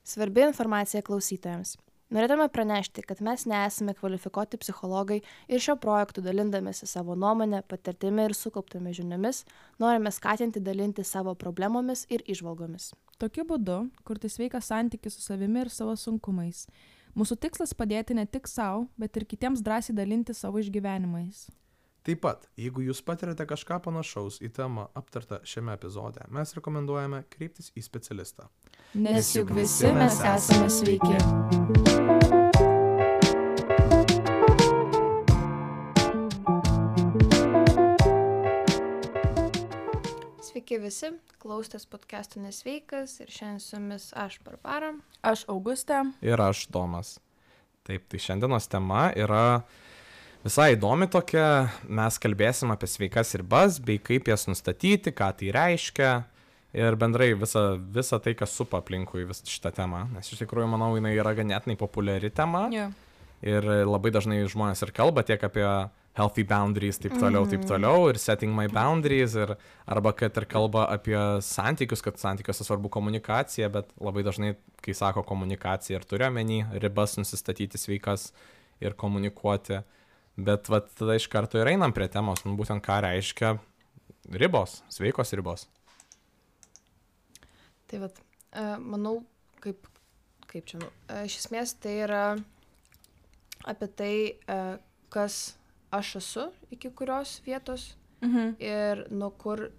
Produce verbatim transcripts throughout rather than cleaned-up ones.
Svarbi informacija klausytojams. Norėtume pranešti, kad mes nesame kvalifikuoti psichologai ir šio projektu dalindamėsi savo nuomonę, patirtimi ir sukauptomis žiniomis, norime skatinti dalinti savo problemomis ir įžvalgomis. Tokiu būdu kurti sveiką santykį su savimi ir savo sunkumais. Mūsų tikslas padėti ne tik savo, bet ir kitiems drąsiai dalinti savo išgyvenimais. Taip pat, jeigu jūs patirate kažką panašaus į temą aptartą šiame epizode, mes rekomenduojame kreiptis į specialistą. Nes juk visi mes esame sveiki. Sveiki visi, klausotės podcast'o Nesveikas ir šiandien su jumis aš Barbara. Aš Augustė. Ir aš Domas. Taip, tai šiandienos tema yra visai įdomi tokia. Mes kalbėsim apie sveikas ribas, bei kaip jas nustatyti, ką tai reiškia ir bendrai visą, visą tai, kas supa aplinkui visą šitą temą. Nes iš tikrųjų, manau, jinai yra ganėtinai populiari tema. Yeah. Ir labai dažnai žmonės ir kalba tiek apie healthy boundaries, taip toliau, mm-hmm. taip toliau, ir setting my boundaries, ir, arba kad ir kalba apie santykius, kad santykiuose svarbu komunikacija, bet labai dažnai, kai sako komunikacija, ir turiu omeny ribas nusistatyti sveikas ir komunikuoti. Bet vat, tada iš karto ir einam prie temos, nu, būtent ką reiškia ribos, sveikos ribos. Tai vat, manau, kaip, kaip čia, nu, iš esmės tai yra apie tai, kas aš esu iki kurios vietos Mhm. ir nuo kur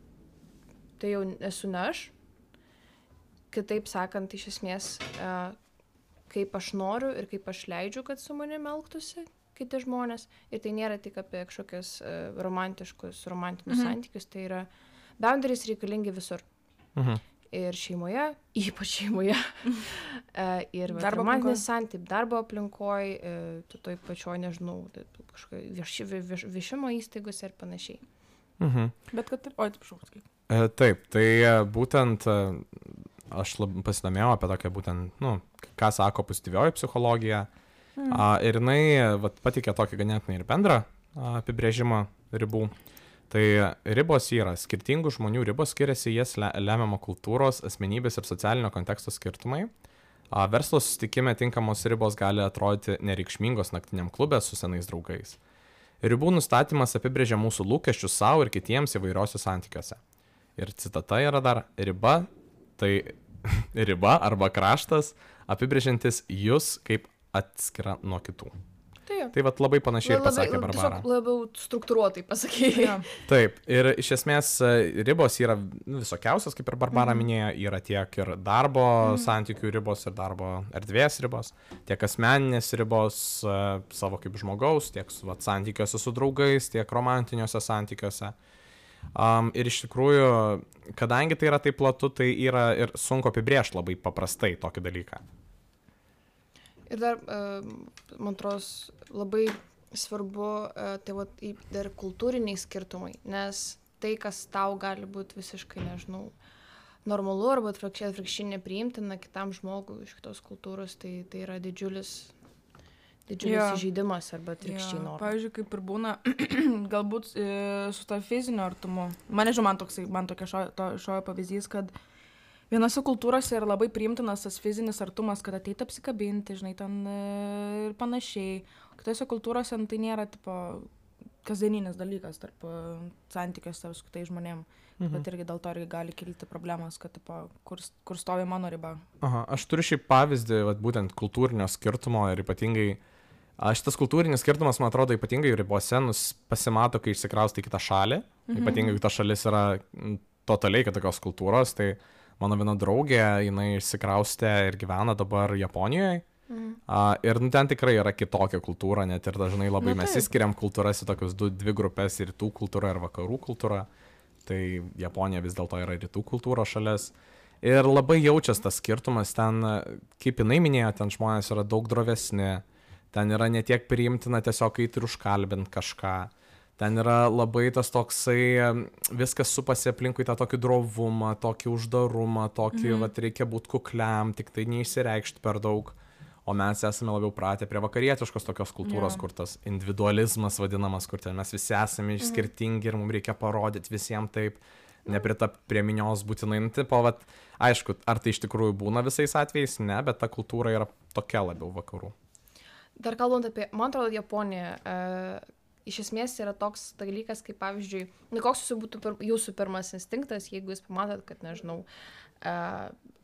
tai jau esu ne aš. Kitaip sakant, iš esmės, kaip aš noriu ir kaip aš leidžiu, kad su manimi elgtųsi kiti žmonės. Ir tai nėra tik apie kažkokius uh, romantiškus, romantinius Mhm. santykius, tai yra boundaries reikalingi visur. Mhm. Ir šeimoje, ypač šeimoje. uh, ir va, Darbo romantinis santykiai, darbo aplinkoj, uh, tu toj pačioj, nežinau, kažkokio vieš, vieš, viešimo įstaigose ir panašiai. Mhm. Bet kad ir... Oi, atsiprašau, sakyk. E, taip, tai e, būtent e, aš lab, pasidomėjau apie tokią būtent, nu, ką sako pozityvioji psichologija. Mm. A, ir jinai vat, patikė tokį ganėtinai ir bendrą a, apibrėžimą ribų. Tai ribos yra skirtingų žmonių ribos, skiriasi jas le, lemiamo kultūros, asmenybės ir socialinio konteksto skirtumai. A, verslo susitikime tinkamos ribos gali atrodyti nereikšmingos naktiniam klube su senais draugais. Ribų nustatymas apibrėžia mūsų lūkesčius savo ir kitiems įvairiuose santykiuose. Ir citata yra dar: riba, tai riba arba kraštas apibrėžiantis jūs kaip atskira nuo kitų. Tai jo. Tai vat labai panašiai ir pasakė Barbara. Tiesiog labiau struktūruotai pasakė. Jo. Taip, ir iš esmės e, ribos yra visokiausios, kaip ir Barbara Mhm. minėjo, yra tiek ir darbo Mhm. santykių ribos ir darbo erdvės ribos, tiek asmeninės ribos e, savo kaip žmogaus, tiek su, vat, santykiuose su draugais, tiek romantiniuose santykiuose. Um, ir iš tikrųjų, kadangi tai yra taip platu, tai yra ir sunku apibrėžti labai paprastai tokį dalyką. Ir dar, uh, man atrodo, labai svarbu, uh, tai vat, į- dar kultūriniai skirtumai, nes tai, kas tau gali būti visiškai, nežinau, normalu arba atvirkščiai atvirkščiai nepriimtina kitam žmogui iš kitos kultūros, tai, tai yra didžiulis, didžiulis Jo. įžeidimas arba atvirkščiai Jo, norma. pavyzdžiui, kaip ir būna, galbūt e, su to fiziniu artumu. Man nežinau, man toksai, man tokia šio, to, šio pavyzdys, kad vienose kultūrose yra labai priimtinas tas fizinis artumas, kad ateit apsikabinti, žinai, ten e, ir panašiai. Kitose kultūrose nu, tai nėra, tipo, kasdieninis dalykas tarp e, santykiuose su kitais žmonėm. Mhm. Bet irgi dėl to irgi gali kilti problemos, kad, tipo, kur, kur stovi mano riba. Aha, aš turiu šį pavyzdį, vat, būtent kultūrinio skirtumo ir ypatingai, a, šitas kultūrinis skirtumas, man atrodo, ypatingai ribose nus pasimato, kai išsikraustai į kitą šalį, Mhm. ypatingai, kai ta šalis yra m, totaliai kitokios kultūros, tai mano viena draugė, jinai išsikraustė ir gyvena dabar Japonijoje. Mhm. A, ir nu, ten tikrai yra kitokia kultūra, net ir dažnai labai Na, mes taip. įskiriam kultūras į tokius du, dvi grupės, rytų kultūra ir vakarų kultūra. Tai Japonija vis dėlto yra rytų kultūros šalis. Ir labai jaučias tas skirtumas, ten, kaip jinai minėjo, ten žmonės yra daug drovesni, ten yra ne tiek priimtina tiesiog eiti ir užkalbint kažką. Ten yra labai tas toksai, viskas supasi aplinkui tą tokį drovumą, tokį uždarumą, tokį, Mhm. vat, reikia būti kukliam, tik tai neišsireikšti per daug. O mes esame labiau pratę prie vakarietiškos tokios kultūros, Jo. kur tas individualizmas vadinamas, kur ten mes visi esame Mhm. skirtingi ir mums reikia parodyti visiems taip. nepritap prie minios būtinai, nu, tipo, vat, aišku, ar tai iš tikrųjų būna visais atvejais, ne, bet ta kultūra yra tokia labiau vakarų. Dar kalbant apie, man atrodo, Japoniją, e, iš esmės yra toks dalykas, kaip pavyzdžiui, nu, koks jūsų būtų pir, jūsų pirmas instinktas, jeigu jūs pamatot, kad, nežinau, e,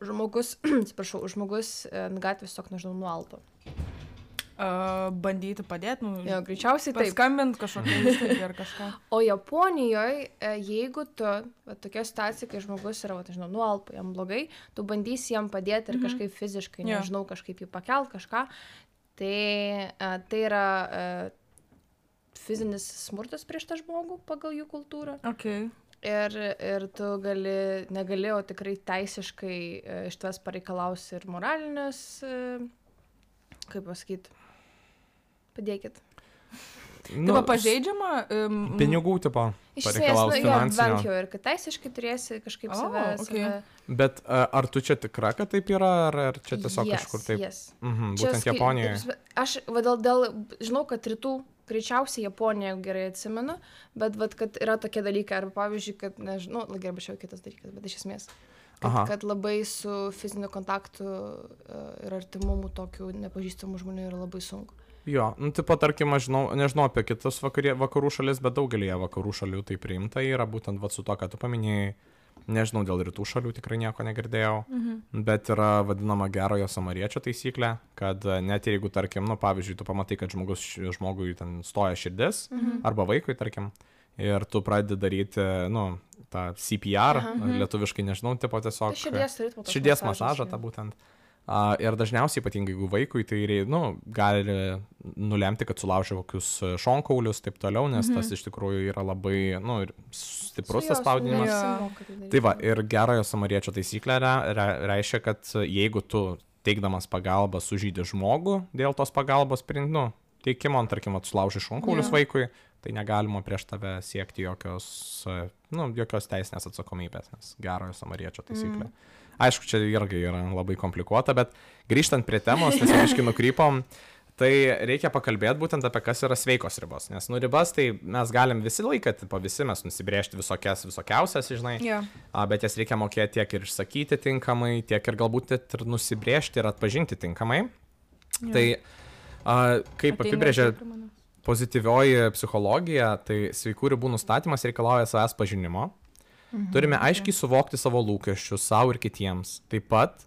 žmogus, atsiprašau, žmogus e, ant gatvės tiesiog, nežinau, nualpo. Uh, bandyti padėti, nu, Jo, greičiausiai taip. paskambinti kažkokią įstaigą ar kažką. O Japonijoje, jeigu tu, va, tokia situacija, kai žmogus yra, va, nežinau, nualpo, jam blogai, tu bandysi jam padėti ir kažkaip fiziškai, Jo. nežinau, kažkaip jį pakelt, kažką, tai e, tai yra e, fizinis smurtas prieš tą žmogų pagal jų kultūrą. Okay. Ir, ir tu gali, negali, o tikrai teisiškai e, iš tavęs pareikalausi ir moralinės, e, kaip pasakyti, padėkit. Nu, taip, pažeidžiama. Um, pinigų, tipo, Iš esmės, pareikalaus nu, jo, bent finansinio. jau ir kad teisiškai turėsi kažkaip O, save, okay. save... Bet a, ar tu čia tikra, kad taip yra, ar, ar čia tiesiog Yes, kažkur taip? yes. Mhm, Čia būtent skai- Japonijoje. Aš, va, dėl, dėl, žinau, kad rytų, greičiausiai Japonija, jeigu gerai atsimenu, bet, va, kad yra tokie dalykai, arba pavyzdžiui, kad, nežinau, gerai, bet čia jau kitas dalykas, bet iš esmės, kad, Aha. kad labai su fiziniu kontaktu uh, ir artimumu tokių nepažįstamų žmonių yra labai sunku. Jo, nu, tipo, tarkim, aš žinau, nežinau apie kitas vakarė, vakarų šalis, bet daugelėje vakarų šalių tai priimta yra, būtent va, su to, ką tu paminėjai, nežinau, dėl rytų šalių tikrai nieko negirdėjau, mhm. bet yra vadinama gerojo samariečio taisyklė, kad net jeigu, tarkim, nu, pavyzdžiui, tu pamatai, kad žmogus, žmogui ten stoja širdis, mhm. arba vaikui, tarkim, ir tu pradedi daryti, nu, tą C P R, mhm. lietuviškai, nežinau, tipo tiesiog... Tai širdies ritmo toks Širdies masažas, masažą, jo. tą būtent. Uh, ir dažniausiai, ypatingai jeigu vaikui, tai nu, gali nulemti, kad sulaužia kokius šonkaulius, taip toliau, nes mm -hmm. tas iš tikrųjų yra labai nu, stiprus tas spaudinimas. Tai, tai va, ir gerojo samariečio taisyklė re, re, reiškia, kad jeigu tu teikdamas pagalbą sužeidi žmogų dėl tos pagalbos nu, teikimo, tarkim, sulauži šonkaulius yeah. vaikui, tai negalima prieš tave siekti jokios, nu, jokios teisinės atsakomybės, nes gerojo samariečio taisyklė. Mm. Aišku, čia irgi yra labai komplikuota, bet grįžtant prie temos, nes aiškiai nukrypom, tai reikia pakalbėti būtent apie kas yra sveikos ribos. Nes nu ribas tai mes galim visi laiką, tipo visi mes nusibrėžti visokias, visokiausias, žinai, yeah. a, bet jas reikia mokėti tiek ir išsakyti tinkamai, tiek ir galbūt ir nusibrėžti ir atpažinti tinkamai. Yeah. Tai a, kaip Ateina apibrėžia pozityvioji psichologija, tai sveikų ribų nustatymas reikalauja savęs pažinimo. Mhm, Turime aiškiai okay. suvokti savo lūkesčius savo ir kitiems. Taip pat,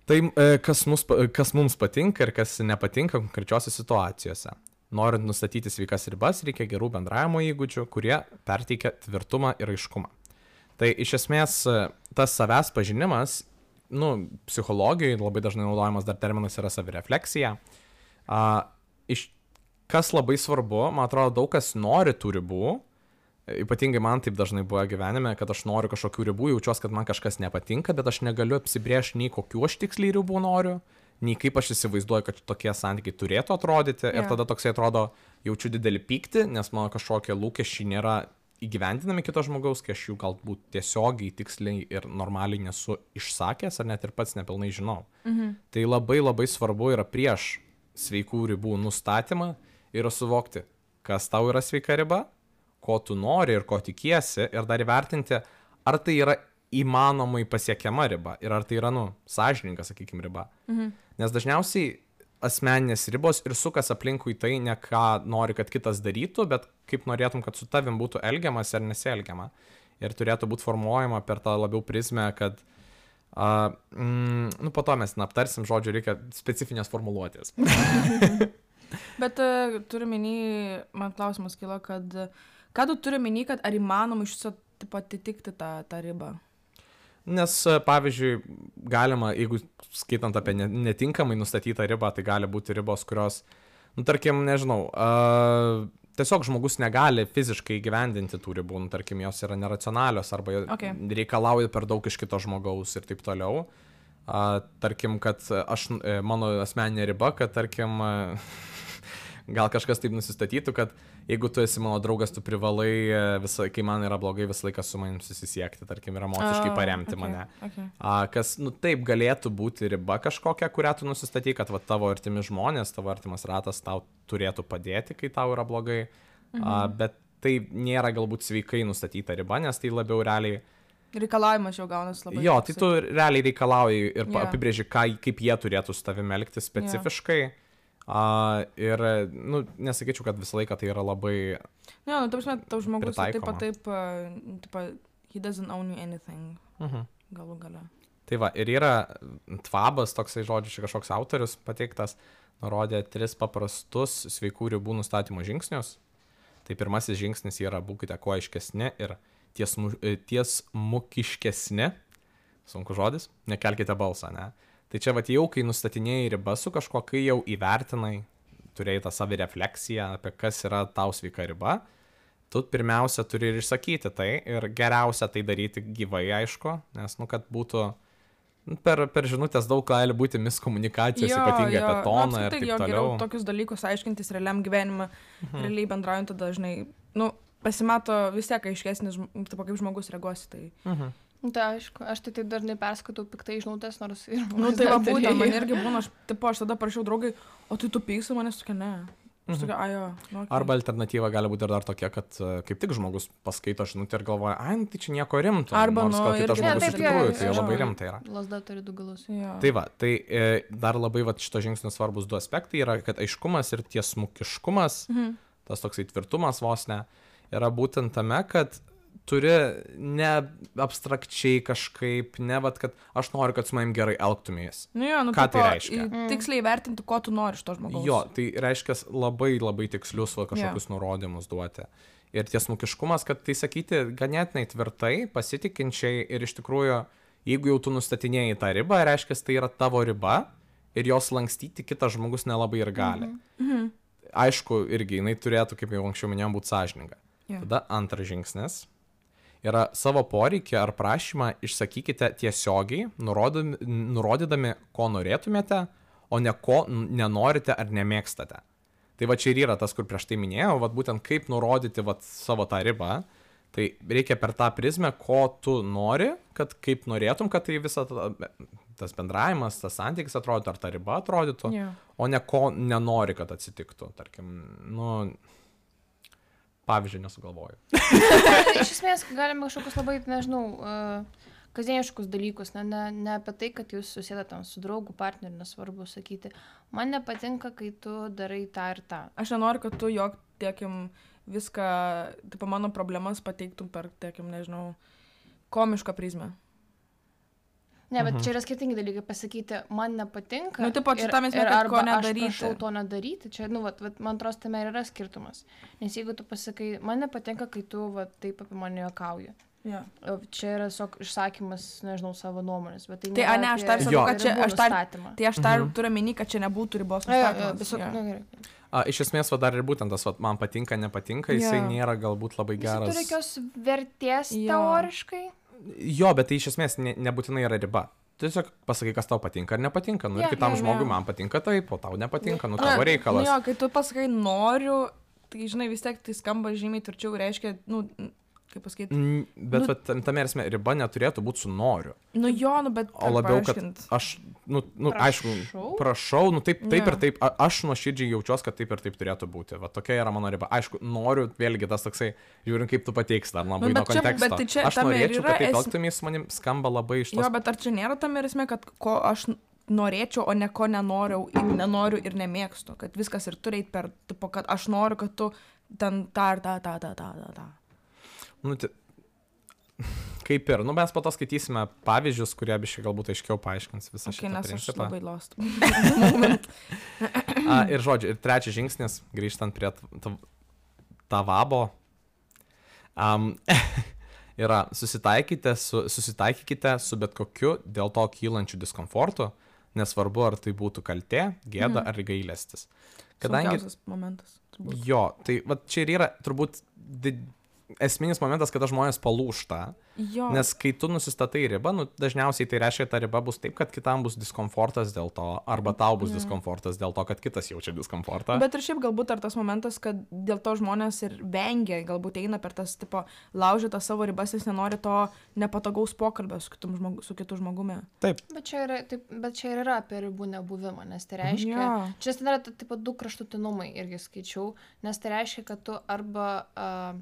tai kas, mus, kas mums patinka ir kas nepatinka konkrečiose situacijose. Norint nustatyti sveikas ribas, reikia gerų bendravimo įgūdžių, kurie perteikia tvirtumą ir aiškumą. Tai iš esmės tas savęs pažinimas, nu, psichologijoje labai dažnai naudojamas dar terminas yra savirefleksija. A, iš, kas labai svarbu, man atrodo, daug kas nori tų ribų. Ypatingai man taip dažnai buvo gyvenime, kad aš noriu kažkokių ribų, jaučiuosi, kad man kažkas nepatinka, bet aš negaliu apsibrėžti nei kokių aš tiksliai ribų noriu, nei kaip aš įsivaizduoju, kad tokie santykiai turėtų atrodyti. Yeah. Ir tada toksai atrodo, jaučiu didelį pyktį, nes mano kažkokie lūkesčiai nėra įgyvendinami kito žmogaus, kai aš jų galbūt tiesiogiai, tiksliai ir normaliai nesu išsakęs, ar net ir pats nepilnai žinau. Mhm. Tai labai labai svarbu yra prieš sveikų ribų nustatymą ir suvokti, kas tau yra sveika riba, ko tu nori ir ko tikiesi, ir dar įvertinti, ar tai yra įmanomai pasiekiama riba ir ar tai yra, nu, sąžininga, sakykime, riba. Mhm. Nes dažniausiai asmeninės ribos ir sukas aplinkui tai ne ką nori, kad kitas darytų, bet kaip norėtum, kad su tavim būtų elgiamas ar nesielgiama. Ir turėtų būti formuojama per tą labiau prizmę, kad, uh, mm, nu, po to mes aptarsim, žodžiu, reikia specifinės formuluotės. Bet uh, turiu minį, man klausimas kilo, kad ką tu turi minį, kad ar įmanoma iš viso atitikti tą, tą ribą? Nes, pavyzdžiui, galima, jeigu skaitant apie netinkamai nustatytą ribą, tai gali būti ribos, kurios, nu, tarkim, nežinau, uh, tiesiog žmogus negali fiziškai įgyvendinti tų ribų, nu, tarkim, jos yra neracionalios arba okay. reikalauja per daug iš kito žmogaus ir taip toliau. Uh, tarkim, kad aš, mano asmeninė riba, kad, tarkim, uh, gal kažkas taip nusistatytų, kad jeigu tu esi mano draugas, tu privalai, visą, kai man yra blogai, visą laiką su manim susisiekti, tarkim, ir emociškai paremti oh, okay, mane. Okay. A, kas, nu, taip galėtų būti riba kažkokia, kurią tu nusistatai, kad va, tavo artimi žmonės, tavo artimas ratas tau turėtų padėti, kai tau yra blogai, mhm. A, bet tai nėra galbūt sveikai nustatyta riba, nes tai labiau realiai... Reikalavimas jau gaunas labai. Jo, tai tu realiai reikalauji ir Jo. apibrėži, ką, kaip jie turėtų su tavimi elgtis specifiškai. Uh, ir, nu, nesakyčiau, kad visą laiką tai yra labai... Ne, nu, taip, tau žmogus taip pritaikoma. pat taip, uh, taip, he doesn't own you anything, Mhm. galų gale. Tai va, ir yra tvabas, toksai žodžiu, čia kažkoks autorius pateiktas, nurodė tris paprastus sveikų ribų nustatymo žingsnius. Tai pirmasis žingsnis yra būkite kuo aiškesni ir tiesmu, tiesmukiškesni, sunku žodis, nekelkite balsą, ne? Tai čia va jau, kai nustatinėjai ribą su kažkuo, kai jau įvertinai, turėjai tą savirefleksiją apie kas yra tau sveika riba, tu pirmiausia turi ir išsakyti tai ir geriausia tai daryti gyvai, aišku, nes, nu, kad būtų per, per žinutės daug gali būti miskomunikacijos, ypatingai apie toną nu, ir taip jo, toliau. Geriau tokius dalykus aiškintis realiam gyvenimą, mhm. realiai bendraujant tada dažnai, nu, pasimato vis tiek aiškesnis, taip kaip žmogus reaguosi, tai... Mhm. Tai aišku, aš tai taip dažnai perskaitau piktai žinutės, nors ir... Nu, tai va būtent, man irgi būna, aš, tipo, aš tada parašiau draugai, o tai tu pyksi manęs tokia, ne. Aš tokia, ajo, nu, okay. Arba alternatyva gali būti ir dar tokia, kad uh, kaip tik žmogus paskaito žinutę ir galvoja, ai, nu, tai čia nieko rimto. Arba, nors nu, gal kitas irgi- žmogus Ne, iš taip, tikrųjų, jo, tai jo, labai jo. rimta yra. Lazda turi du galus. Jo. Tai va, tai e, dar labai va, šito žingsnio svarbus du aspektai yra, kad aiškumas ir tiesmukiškumas, Mhm. tas toksai tvirtumas vos ne, yra būtent tame, kad turi ne abstrakčiai kažkaip, ne, vat, kad aš noriu, kad su manim gerai elgtumės. Nu, jo, nu, Ką tai tipo, reiškia? į- Tiksliai vertinti, ko tu nori iš to žmogaus. Jo, tai reiškia labai labai tikslius va, kažkokius yeah. nurodymus duoti. Ir tiesmukiškumas, kad tai sakyti ganėtinai tvirtai, pasitikinčiai ir iš tikrųjų, jeigu jau tu nustatinėjai tą ribą, reiškia, tai yra tavo riba ir jos lankstyti kitas žmogus nelabai ir gali. Mhm. Aišku, irgi jinai turėtų, kaip jau anksčiau minėjom, būti sąžininga. Jo. Tada antras žingsnis yra savo poreikį ar prašymą išsakykite tiesiogiai, nurodami, nurodydami, ko norėtumėte, o ne ko nenorite ar nemėgstate. Tai va čia ir yra tas, kur prieš tai minėjau, va būtent kaip nurodyti va savo tą ribą, tai reikia per tą prizmę, ko tu nori, kad kaip norėtum, kad tai visa ta, tas bendravimas, tas santykis atrodytų, ar ta riba atrodytų, Jo. o ne ko nenori, kad atsitiktų. Tarkim, nu... Pavyzdžiui, nesugalvoju. Iš esmės, galime kažkokius labai, nežinau, uh, kasdieniškus dalykus, ne, ne, ne apie tai, kad jūs susėdate ten su draugu, partneriu, nesvarbu sakyti, man nepatinka, kai tu darai tą ir tą. Aš nenoriu, kad tu jog, tiekim, viską, tipo, mano problemas pateiktum per, tiekim, nežinau, komišką prizmę. Ne, bet čia yra skirtingi dalykai pasakyti, man nepatinka. Nu, tipo, čia ir- tam esmė, ir kad arba ko aš nedaryti. prašau to nedaryti. Čia, nu, vat, vat, man atrodo, tame ir yra skirtumas. Nes jeigu tu pasakai, man nepatinka, kai tu vat, taip apie mane juokauji. Ja. O čia yra tiesiog išsakymas, nežinau, savo nuomonės. Bet tai Tai, a, ne, aš dar Jo. sakau, kad čia, aš dar, statymą. tai aš dar turiu meni, kad čia nebūtų ribos nustatymas. Tiesiog, Jo. na gerai. A, iš esmės, va dar ir būtent tas, va, man patinka, nepatinka, jisai Jo. nėra galbūt labai Jis geras. turi jokios vertės Jo. teoriškai. Jo, bet tai iš esmės ne, nebūtinai yra riba. Tu tiesiog pasakai, kas tau patinka ar nepatinka. Nu, Jo, ir kitam jo, jo. žmogui man patinka taip, o tau nepatinka, nu, Na, tavo reikalas. Nu, jo, kai tu pasakai noriu, tai žinai, vis tiek tai skamba žymiai tvirčiau, reiškia, nu, kaip pasakyti. Mm, Bet Nu- va, tam- tame esmė, riba neturėtų būti su noriu. Nu jo, nu, bet... O labiau, kad paaiškint. aš, nu, nu aišku, Prašau? prašau, nu taip, taip Jo. ir taip, a- aš nuoširdžiai jaučiuosi, kad taip ir taip turėtų būti. Va tokia yra mano riba. Aišku, noriu, vėlgi tas toksai, žiūrint, kaip tu pateiksi, dar labai Nu, nuo bet čia- konteksto. bet tai čia Aš tame ir norėčiau, yra kad taip es- elgtumės su manim, skamba labai iš tos. Jo, bet ar čia nėra tam ir esmė, kad ko aš n- norėčiau, o ne ko nenoriu, ir nenoriu ir nemėgstu. Kad viskas ir turi eit per, tipo, kad aš noriu, kad tu ten tą ir tą, tą, tą, tą, tą, tą. Nu, tai, kaip ir, nu mes po to skaitysime pavyzdžius, kurie biškai galbūt aiškiau paaiškins visą Okay, šitą nes aš principą. labai lost. A, ir žodžiu, ir trečias žingsnis, grįžtant prie t- t- tavabo, um, yra susitaikykite su, susitaikykite su bet kokiu dėl to kylančiu diskomfortu, nesvarbu ar tai būtų kaltė, gėda ar gailestis. Kadangi Sunkiausias momentas. turbūt. jo, tai va čia ir yra turbūt di- esminis momentas, kada žmonės palūšta. Jo. Nes kai tu nusistatai ribą, nu, dažniausiai tai reiškia, kad ta riba bus taip, kad kitam bus diskomfortas dėl to, arba tau bus diskomfortas dėl to, kad kitas jaučia diskomfortą. Bet ir šiaip galbūt ar tas momentas, kad dėl to žmonės ir vengia, galbūt eina per tas, tipo, laužytą savo ribas, jis nenori to nepatogaus pokalbio su, kitum žmogu, su kitu žmogumi. Taip, Bet čia, yra, taip, bet čia ir yra apie ribų nebuvimą, nes tai reiškia, Jo. čia ten yra taip pat du kraštutinumai irgi skaičiau, nes tai reiškia, kad tu arba uh,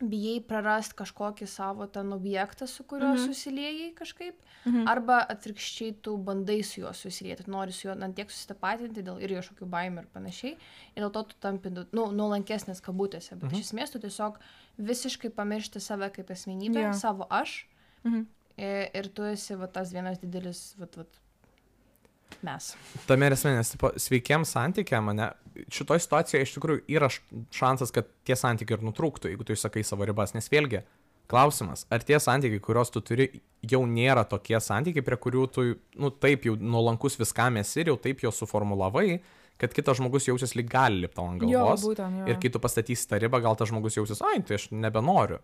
bijai prarast kažkokį savo ten objektą, su kuriuo Mhm. susiliejai kažkaip, Mhm. arba atvirkščiai tu bandai su juo susilieti, tu nori su juo ant tiek susitapatinti dėl ir kažkokių baimių ir panašiai, ir dėl to tu tampi, nu, nuolankesnės kabutėse, bet Mhm. iš esmės tu tiesiog visiškai pamiršti save kaip asmenybę, Jo. savo aš, Mhm. ir, ir tu esi va, tas vienas didelis, va, va, mes. Tame ir esmė, nes tipo, sveikiems santykiam, mane, šitoje situacijoje iš tikrųjų yra š- šansas, kad tie santykiai ir nutrūktų, jeigu tu išsakai savo ribas, nes vėlgi, klausimas, ar tie santykiai, kuriuos tu turi, jau nėra tokie santykiai, prie kurių tu, nu taip jau nuolankus viskam esi ir jau taip jo suformulavai, kad kitas žmogus jausis lyg gali lipti ant Jo, galvos. būtent, jo. Ir kai tu pastatysi tą ribą, gal tas žmogus jausis, ai, tai aš nebenoriu.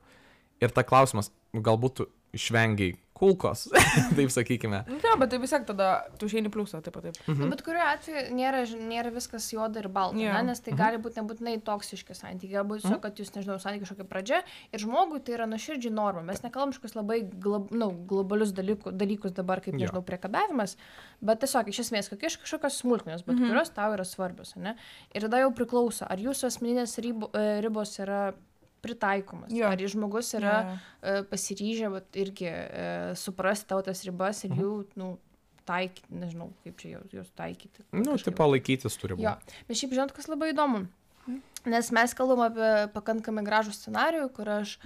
Ir ta klausimas, galbūt tu išvengiai kulkos, taip sakykime. Nu, jo, bet tai vis tiek tada tu išeini pliusą, taip pat taip. Mhm. Bet kuriuo atveju nėra, nėra viskas juoda ir balta, Jo. ne? Nes tai gali būti nebūtinai toksiški santykiai, galbūt tiesiog, kad jūs, nežinau, santykiai kažkokia pradžia ir žmogui tai yra nuoširdžiai norma. Mes nekalbam kažkokius labai glob, nu, globalius dalykus, dalykus dabar, kaip, Jo. nežinau, priekabiavimas, bet tiesiog iš esmės kokie kažkokios smulkmenos, bet Mhm. kurios tau yra svarbios, ne? Ir tada jau priklauso, ar jūsų asmeninės ribo, e, ribos yra pritaikomas, Jo. ar jis žmogus yra Jo, jo. e, pasiryžę vat, irgi e, suprasti tavo tas ribas ir jų, nu, taikyti, nežinau, kaip čia jos, jos taikyti. Nu, kažkaip. tipo laikytis turi būti. Jo, bet šiaip žinot, kas labai įdomu. Nes mes kalbam apie pakankamai gražų scenarijų, kur aš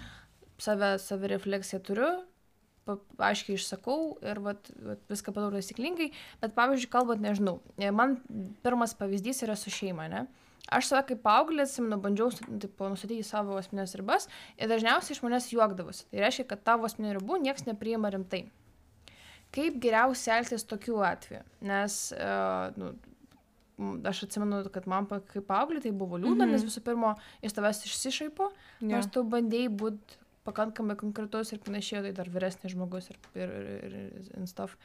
save, save refleksiją turiu, pa, aiškiai išsakau ir vat, vat, viską padarau taisyklingai, bet pavyzdžiui, kalbant, nežinau, man pirmas pavyzdys yra su šeima, ne? Aš save kaip paauglė, atsimenu, bandžiau tipo, nustatyti savo asmenines ribas ir dažniausiai iš manęs juokdavosi. Tai reiškia, kad tavo asmeninių ribų niekas nepriima rimtai. Kaip geriausia elgtis tokiu atveju? Nes uh, nu, m, aš atsimenu, kad man pa- kaip paauglė tai buvo liūdna, Mhm. nes visų pirma, jis tavęs išsišaipo, Jo. nors tu bandėjai būti pakankamai konkretus ir panašiai, tai dar vyresnis žmogus ir, ir, ir, ir and stuff.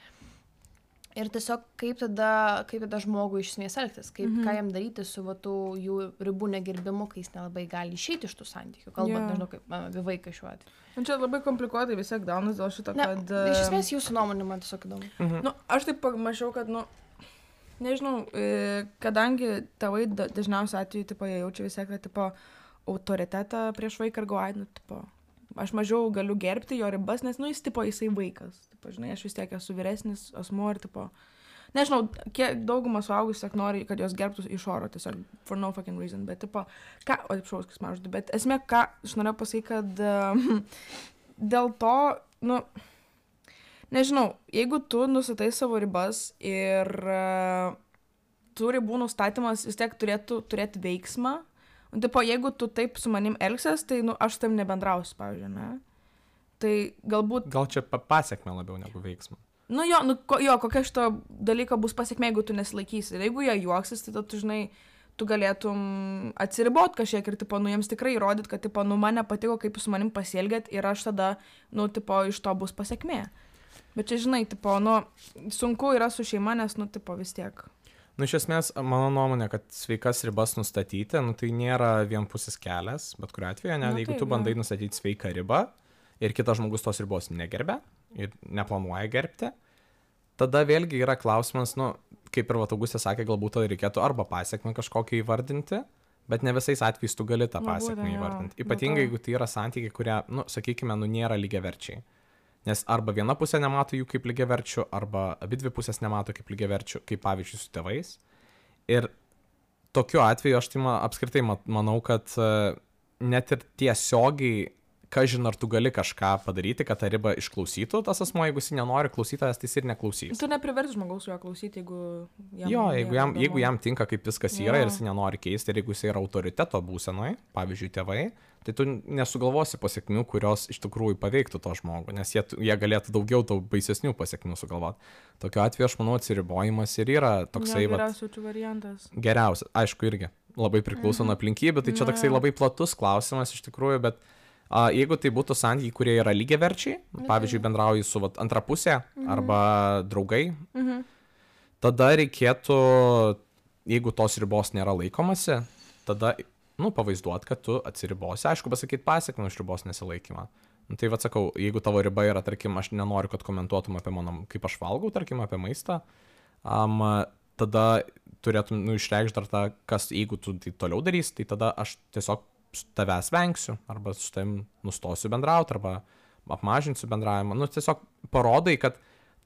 Ir tiesiog kaip tada, kaip tada žmogui iš esmės elgtis, kaip, Mhm. ką jam daryti su va, tų jų ribų negerbimu, kai jis nelabai gali išeiti iš tų santykių, kalbant, Jo. nežinau, kaip a, apie vaiką šiuo atveju. Nu, čia labai komplikuotai vis tiek daunas dėl šito, Ne, kad... iš e, esmės jūsų nuomonė man tiesiog įdomu. Mhm. Nu, aš taip pamačiau, kad, nu, nežinau, e, kadangi tėvai da- dažniausiai atveju, tipo, jie jaučia vis tiek, kad, tipo, autoritetą prieš vaiką ir galvoja, nu, tipo, aš mažiau galiu gerbti jo ribas, nes, nu, jis, tipo, jisai vaikas. Tipo, žinai, aš vis tiek esu vyresnis asmuo ir, tipo, nežinau, kiek daugumą suaugusių tiesiog nori, kad jos gerbtų iš oro, tiesiog, for no fucking reason, bet, tipo, ką, o, taip šaus, kas maždu, bet esmė, ką aš norėjau pasakyti, kad uh, dėl to, nu, nežinau, jeigu tu nustatai savo ribas ir uh, tų ribų nustatymas vis tiek turėtų turėti veiksmą, nu, tipo, jeigu tu taip su manim elgsies, tai, nu, aš su tam nebendrausiu, pavyzdžiui, ne? Tai galbūt, Gal čia pa- pasiekmė labiau negu veiksmą. nu jo, nu, ko, jo, kokia šito dalyko bus pasiekmė, jeigu tu nesilaikysi. Ir jeigu jie juoksis, tai tada tu, žinai, tu galėtum atsiribot kažkiek ir, tipo, nu, jiems tikrai įrodyt, kad, tipo, nu, man nepatiko, kaip jūs su manim pasielgėt ir aš tada, nu, tipo, iš to bus pasiekmė. Bet čia, žinai, tipo, nu, sunku yra su šeima, nes, nu, tipo, vis tiek. Nu, iš esmės, mano nuomonė, kad sveikas ribas nustatyti, nu, tai nėra vienpusis kelias, bet kuriuo atveju, ne, Nu, jeigu taip, tu bandai jo. nustatyti sveiką ribą ir kitas žmogus tos ribos negerbia ir neplanuoja gerbti, tada vėlgi yra klausimas, nu, kaip ir Vatagusė sakė, galbūt to reikėtų arba pasiekmę kažkokią įvardinti, bet ne visais atvejais tu gali tą Nu, pasiekmę būtent, jo. įvardinti. Dėl Ypatingai, to- jeigu tai yra santykiai, kurie, nu, sakykime, nu, nėra lygiaverčiai. Nes arba viena pusė nemato jų kaip lygiaverčių, arba abidvi pusės nemato kaip lygiaverčių, kaip pavyzdžiui su tėvais. Ir tokiu atveju aš tai ma, apskritai mat, manau, kad e, net ir tiesiogiai, kažin ar tu gali kažką padaryti, kad tą ribą išklausytų tas asmo, jeigu jis nenori klausytojas, tai jis ir neklausys. Tu nepriversi žmogaus su juo klausyti, jeigu jam... Jo, jeigu nėra jam, įdomu. jeigu jam tinka, kaip viskas yra Jo. ir jis nenori keisti, ir jeigu jis yra autoriteto būsenoje, pavyzdžiui, tėvai, tai tu nesugalvosi pasiekmių, kurios iš tikrųjų paveiktų to žmogų, nes jie, jie galėtų daugiau tau baisesnių pasiekmių sugalvoti. Tokiu atveju, aš manau, atsiribojimas ir yra toksai Jo, vat, geriausias variantas. geriausias. Aišku, irgi labai priklauso nuo aplinkybių, tai čia Na, toksai jo. labai platus klausimas iš tikrųjų, bet a, jeigu tai būtų santykiai, kurie yra lygiaverčiai, pavyzdžiui, bendrauji su vat, antra pusė arba draugai, Mhm. tada reikėtų, jeigu tos ribos nėra laikomasi, tada, nu, pavaizduot, kad tu atsiribosi, aišku, pasakyti pasiekmių už ribos nesilaikymą. Nu, tai vad sakau, jeigu tavo riba yra, tarkim, aš nenoriu, kad komentuotum apie mano, kaip aš valgau, tarkim, apie maistą, um, tada turėtum, nu, išreikšti dar tą, kas, jeigu tu tai toliau darys, tai tada aš tiesiog su tavęs vengsiu, arba su tavim nustosiu bendrauti, arba apmažinsiu bendravimą. Nu, tiesiog parodai, kad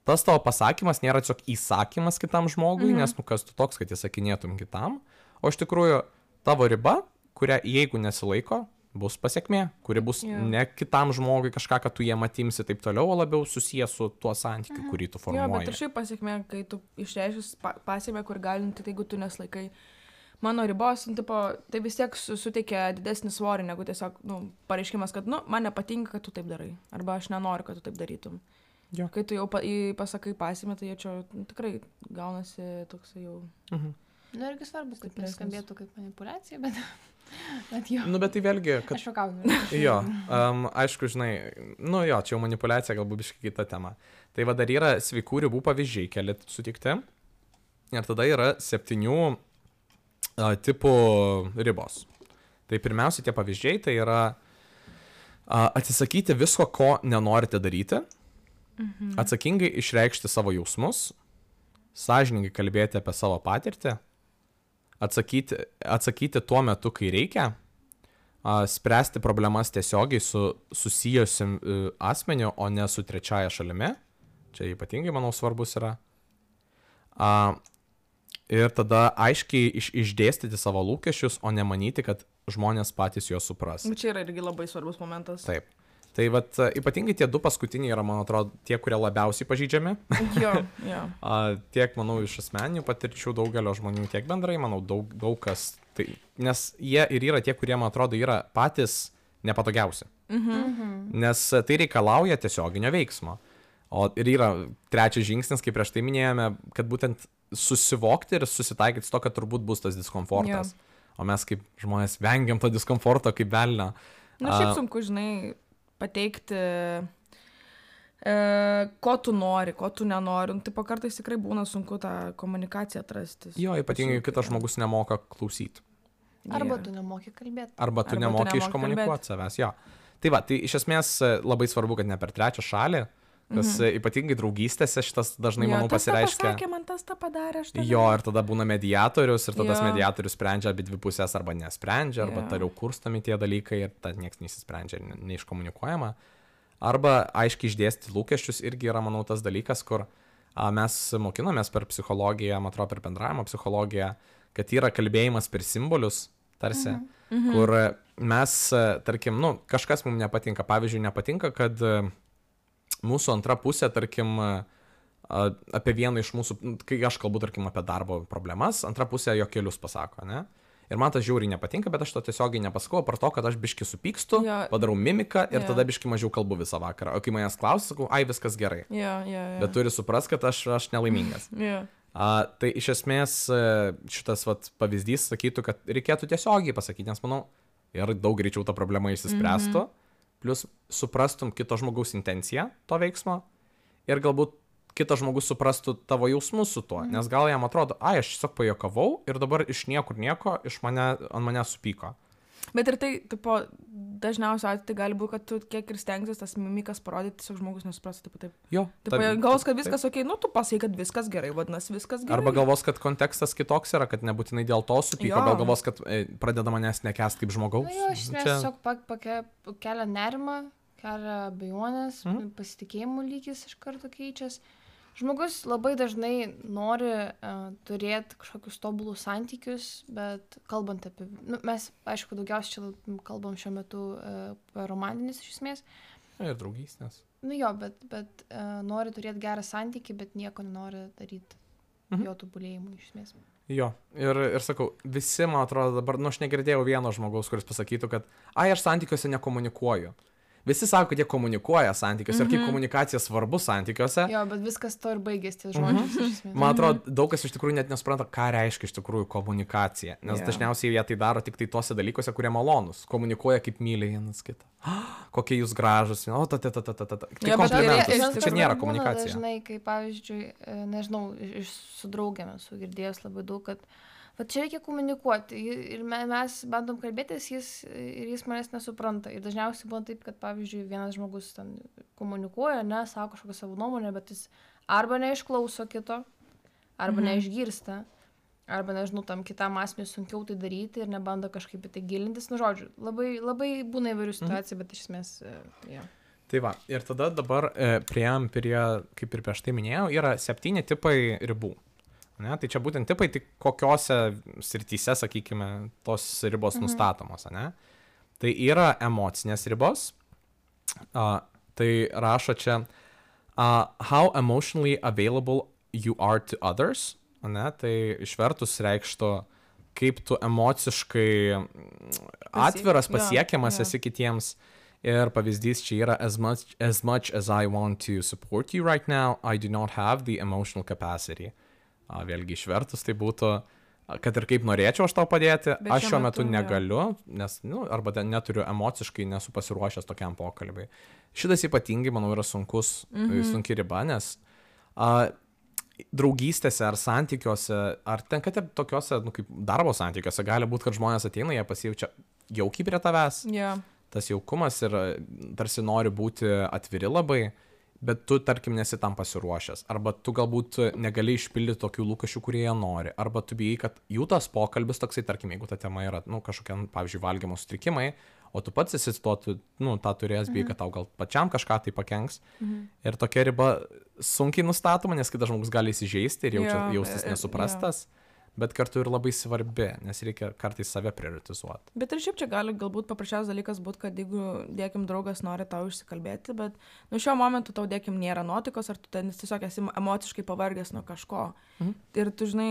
tas tavo pasakymas nėra tiesiog įsakymas kitam žmogui, mhm. nes nu kas tu toks, kad įsakinėtum kitam, o iš tikrųjų tavo riba, kurią jeigu nesilaiko, bus pasiekmė, kuri bus yeah. ne kitam žmogui kažką, kad tu jie matimsi taip toliau, o labiau susijęs su tuo santykiu, mhm. kurį tu formuoji. Jo, bet ir šiaip pasiekmė, kai tu išreiškis pasiekmę, kur galinti, tai jeigu tu neslaikai mano ribos, nu, tipo, tai vis tiek suteikia didesnį svorį, negu tiesiog, nu, pareiškimas, kad, nu, man nepatinka, kad tu taip darai, arba aš nenoriu, kad tu taip darytum. Jo. Kai tu jau pa, pasakai pasiekmę, tai jie čia nu, tikrai gaunasi toksai jau... Mhm. Na, irgi svarbu, kad neskambėtų kaip manipulacija, bet... Bet jo. Nu, bet tai vėlgi, kad... Aš šokauju. Jo, um, aišku, žinai, nu jo, čia jau manipulacija, galbūt biškai kita tema. Tai va dar yra sveikų ribų pavyzdžiai, keli sutikti. Ir tada yra septynių uh, tipų ribos. Tai pirmiausia, tie pavyzdžiai, tai yra uh, atsisakyti visko, ko nenorite daryti, mhm. atsakingai išreikšti savo jausmus, sąžiningai kalbėti apie savo patirtį, Atsakyti, atsakyti tuo metu, kai reikia, a, spręsti problemas tiesiogiai su susijusim asmeniu, o ne su trečiaja šalimi. Čia ypatingai, manau, svarbus yra. A, ir tada aiškiai iš, išdėstyti savo lūkesčius, o ne manyti, kad žmonės patys juos supras. Čia yra irgi labai svarbus momentas. Taip. Tai vat, ypatingai tie du paskutiniai yra, man atrodo, tie, kurie labiausiai pažeidžiami. Jo, jo. Tiek, manau, iš asmeninių patirčių daugelio žmonių, tiek bendrai, manau, daug, daug kas. Tai, nes jie ir yra tie, kurie, man atrodo, yra patys nepatogiausi. Mhm. Nes tai reikalauja tiesioginio veiksmo. O ir yra trečias žingsnis, kaip prieš tai minėjome, kad būtent susivokti ir susitaikyti su to, kad turbūt bus tas diskomfortas. Jo. O mes kaip žmonės vengiam to diskomforto kaip velnio. Na, šiaip sunku, žinai, pateikti, e, ko tu nori, ko tu nenori. Nu, taip, kartais tikrai būna sunku tą komunikaciją atrasti. Jo, ypatingai kitas žmogus nemoka klausyti. Arba tu nemoki kalbėti. Arba tu Arba nemoki iškomunikuoti savęs, jo. Tai va, tai iš esmės labai svarbu, kad ne per trečią šalį, kas mhm. ypatingai draugystėse šitas dažnai, jo, manau, pasireiškia. Pasakė, man tas tą padarė, aš tada... Jo, ir tada būna mediatorius, ir tada tas mediatorius sprendžia abi dvi pusės, arba nesprendžia, arba jo. Toliau kurstomi tie dalykai, ir tad niekas nesisprendžia, neiškomunikuojama. Arba aiškiai išdėsti lūkesčius irgi yra, manau, tas dalykas, kur a, mes mokinomės per psichologiją, man atrodo, per bendravimo psichologiją, kad yra kalbėjimas per simbolius, tarsi, mhm. kur mes, tarkim, nu, kažkas mums nepatinka. Pavyzdžiui, nepatinka, kad mūsų antra pusė, tarkim, apie vieną iš mūsų, kai aš kalbu, tarkim, apie darbo problemas, antra pusė jo kelius pasako, ne? Ir man tas žiauriai nepatinka, bet aš to tiesiogiai nepasakau, par to, kad aš biški supykstu, ja. Padarau mimiką ir ja. Tada biški mažiau kalbu visą vakarą. O kai manęs klausia, sakau, ai, viskas gerai. Ja, ja, ja. Bet turi suprast, kad aš, aš nelaimingas. Ja. A, tai iš esmės šitas vat, pavyzdys sakytų, kad reikėtų tiesiogiai pasakyti, nes manau, ir daug greičiau ta problema išsispręstų. Mhm. Plus suprastum kito žmogaus intenciją to veiksmo ir galbūt kitas žmogus suprastų tavo jausmus su tuo, nes gal jam atrodo, ai, aš tiesiog pajokavau ir dabar iš niekur nieko iš mane, ant mane supyko. Bet ir tai, tipo, dažniausiai atveju tai gali būti, kad tu kiek ir stengsis tas mimikas parodyti, tiesiog žmogus nesuprastų, taip, taip. Jo. Taip, galvos, kad viskas taip. Ok, nu tu pasakai, kad viskas gerai, vadinasi, viskas gerai. Arba galvos, kad kontekstas kitoks yra, kad nebūtinai dėl to supyko, gal galvos, kad e, pradeda manęs nekęst kaip žmogaus. Na jo, aš Čia... tiesiog pake, kelia nerimą, kelia abejonės, mhm. pasitikėjimų lygis iš karto keičias. Žmogus labai dažnai nori uh, turėti kažkokius tobulus santykius, bet kalbant apie... Nu, mes, aišku, daugiausiai čia kalbam šiuo metu uh, apie romantinis iš esmės. Ir draugystės. Nu jo, bet, bet uh, nori turėti gerą santykį, bet nieko nenori daryti mhm. jo tobulėjimui iš esmės. Jo, ir, ir sakau, visi, man atrodo, dabar, nu aš negirdėjau vieno žmogaus, kuris pasakytų, kad ai, aš santykiuose nekomunikuoju. Visi sako, kad jie komunikuoja santykiuose mm-hmm. ir kaip komunikacija svarbu santykiuose. Jo, bet viskas to ir baigėsi ties žodžiais. Mm-hmm. Man atrodo, daug kas iš tikrųjų net nesupranta, ką reiškia iš tikrųjų komunikacija. Nes yeah. dažniausiai jie tai daro tik tai tose dalykuose, kurie malonus. Komunikuoja kaip myli vienas kitą. Kokie jūs gražus. O, ta, ta, ta, ta, ta, ta. Tai ja, komplimentas. Čia nėra komunikacija. Dažnai, kai pavyzdžiui, nežinau, iš su draugėmis sugirdėjus labai daug, kad va čia reikia komunikuoti ir mes bandom kalbėtis, jis, ir jis manęs nesupranta. Ir dažniausiai būna taip, kad pavyzdžiui vienas žmogus ten komunikuoja, ne, sako kažkokią savo nuomonę, bet jis arba neišklauso kito, arba mhm. neišgirsta, arba, nežinau, tam kitam asmeniui sunkiau tai daryti ir nebando kažkaip į tai gilintis. Nu, žodžiu, labai, labai būna įvairių situacijų, bet iš esmės, e, jo. Tai va, ir tada dabar e, prieėm prie, kaip ir prieš tai minėjau, yra septyni tipai ribų. Ne? Tai čia būtent tipai, tik kokiose srityse, sakykime, tos ribos mhm. nustatomos. Ne? Tai yra emocinės ribos. Uh, tai rašo čia, uh, how emotionally available you are to others. Ne? Tai išvertus reikštų, kaip tu emociškai atviras, pasiekiamas esi kitiems. Ir pavyzdys čia yra, as much, as much as I want to support you right now, I do not have the emotional capacity. A, vėlgi išvertus tai būtų, kad ir kaip norėčiau aš tau padėti, bet aš šiuo metu, metu negaliu, nes, nu, arba neturiu emociškai, nesu pasiruošęs tokiam pokalbiui. Šitas ypatingai, manau, yra sunkus, mm-hmm. sunki riba, nes a, draugystėse ar santykiuose, ar ten, kad ir tokiuose, nu, kaip darbo santykiuose, gali būti, kad žmonės ateina, jie pasijaučia jaukiai prie tavęs. Yeah. Tas jaukumas ir tarsi nori būti atviri labai, bet tu, tarkim, nesi tam pasiruošęs. Arba tu galbūt negali išpildyti tokių lūkesčių, kurie jie nori. Arba tu bijai, kad jų tas pokalbis toksai, tarkim, jeigu ta tema yra, nu, kažkokie, pavyzdžiui, valgymo sutrikimai, o tu pats esi to, tu, nu, tą turės, bijai, kad tau gal pačiam kažką tai pakenks. Mhm. Ir tokia riba sunkiai nustatoma, nes kitas žmogus gali įsižeisti ir jaučia, yeah, jaustis nesuprastas. Yeah. Bet kartu ir labai svarbi, nes reikia kartais save prioritizuoti. Bet ir šiaip čia gali galbūt paprasčiausias dalykas būti, kad jeigu, dėkim, draugas nori tau išsikalbėti, bet nu šiuo momentu tau, dėkim, nėra nuotikos, ar tu ten tiesiog esi emociškai pavargęs nuo kažko. Mhm. Ir tu, žinai,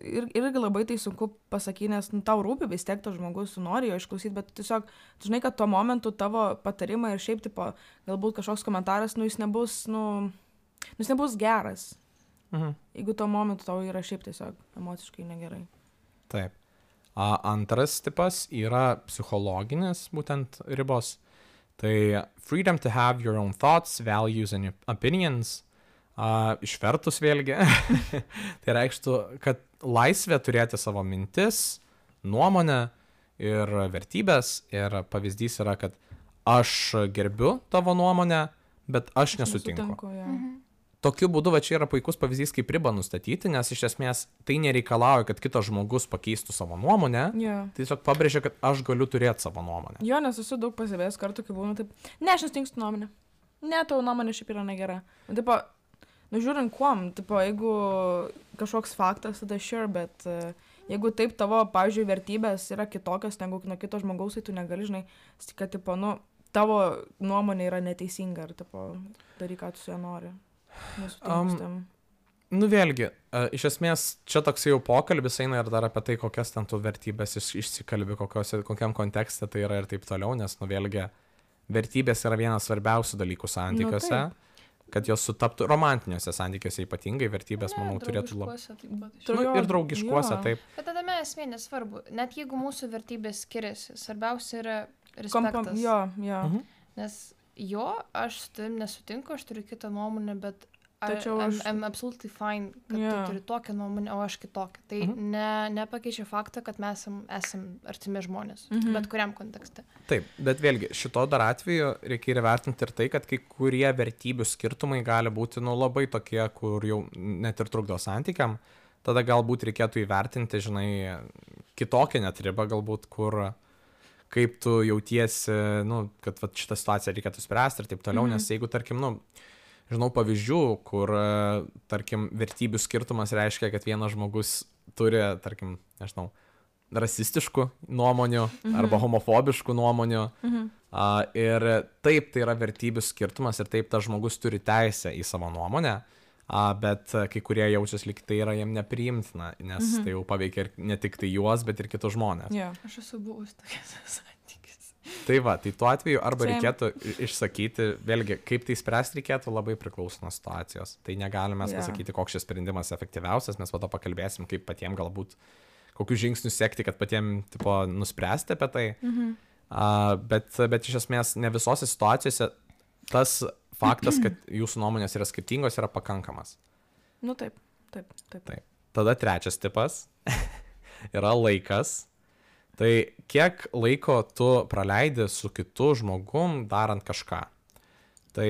ir, irgi labai tai sunku pasakyti, nes nu, tau rūpi vis tiek tas žmogus, tu nori jo išklausyti, bet tiesiog, tu žinai, kad tuo momentu tavo patarimai ir šiaip, tipo, galbūt kažkoks komentaras, nu jis nebus, nu, jis nebus geras. Mhm. Jeigu tuo momentu tau yra šiaip tiesiog emociškai negerai. Taip. A, antras tipas yra psichologinis būtent ribos. Tai freedom to have your own thoughts, values and opinions. A, išvertus vėlgi. Tai reikštų, kad laisvė turėti savo mintis, nuomonę ir vertybės. Ir pavyzdys yra, kad aš gerbiu tavo nuomonę, bet aš nesutinku. nesutinku ja. mhm. Tokiu būdu, va čia yra puikus pavyzdys, kaip ribą nustatyti, nes iš esmės tai nereikalauja, kad kitas žmogus pakeistų savo nuomonę. Yeah. Tai tiesiog pabrėžia, kad aš galiu turėti savo nuomonę. Jo, nes esu daug pasivėjęs kartų, kai būna taip, ne, aš nesutinkstu nuomonę. Ne, tavo nuomonė šiaip yra negera. Nu, tipo, nu žiūrint kuom, tipo, jeigu kažkoks faktas, tada sure, bet uh, jeigu taip tavo, pavyzdžiui, vertybės yra kitokios negu nuo kito žmogaus, tai tu negali, žinai, kad, tipo, nu, tavo nuomonė yra neteisinga ir, tipo, daryk, ką tu su ja nori. Um, nu vėlgi, uh, iš esmės čia toks jau pokalbis eina ir dar apie tai, kokias ten tų vertybės iš, išsikalbi, kokios, kokiam kontekste tai yra ir taip toliau, nes nu vėlgi vertybės yra vienas svarbiausių dalykų santykiuose, nu, kad jos sutaptų romantiniuose santykiuose ypatingai, vertybės, ne, manau, turėtų labai... Nu, ir draugiškuose, taip. Bet tada mes esmė nesvarbu, net jeigu mūsų vertybės skiriasi, svarbiausia yra respektas. Kompam, jo, jo. Mhm. Nes jo, aš su tavim nesutinku, aš turiu kitą nuomonę, bet Tačiau I'm, aš... I'm absolutely fine, kad yeah. tu turi tokią nuomonę, o aš kitokią. Tai mhm. ne, nepakeičia faktą, kad mes esam, esam artimi žmonės, mhm. bet kuriam kontekste. Taip, bet vėlgi, šito dar atveju reikia įvertinti ir tai, kad kai kurie vertybių skirtumai gali būti nu, labai tokie, kur jau net ir trukdo santykiam. Tada galbūt reikėtų įvertinti, žinai, kitokią net ribą galbūt, kur... kaip tu jautiesi, nu, kad va, šitą situaciją reikėtų spręsti ir taip toliau, mm-hmm. nes jeigu, tarkim, nu, žinau pavyzdžių, kur, tarkim, vertybių skirtumas reiškia, kad vienas žmogus turi, tarkim, nežinau, rasistiškų nuomonių mm-hmm. arba homofobiškų nuomonių mm-hmm. a, ir taip tai yra vertybių skirtumas ir taip tas žmogus turi teisę į savo nuomonę, a, bet kai kurie jaučiasi lyg tai yra jiem nepriimtina, nes mm-hmm. tai jau paveikia ir ne tik tai juos, bet ir kitus žmonės. Yeah. Aš esu buvus tokias santykis. Tai va, tai tuo atveju arba Same. reikėtų išsakyti, vėlgi, kaip tai spręsti reikėtų labai priklauso nuo situacijos. Tai negalime yeah. pasakyti, koks šis sprendimas efektyviausias, mes po to pakalbėsim, kaip patiem galbūt, kokius žingsnius sekti, kad patiem, tipo, nuspręsti apie tai. Mm-hmm. Uh, bet, bet iš esmės ne visose situacijose tas faktas, kad jūsų nuomonės yra skirtingos, yra pakankamas. Nu taip, taip, taip. taip. Tada trečias tipas yra laikas. Tai kiek laiko tu praleidi su kitu žmogum darant kažką. Tai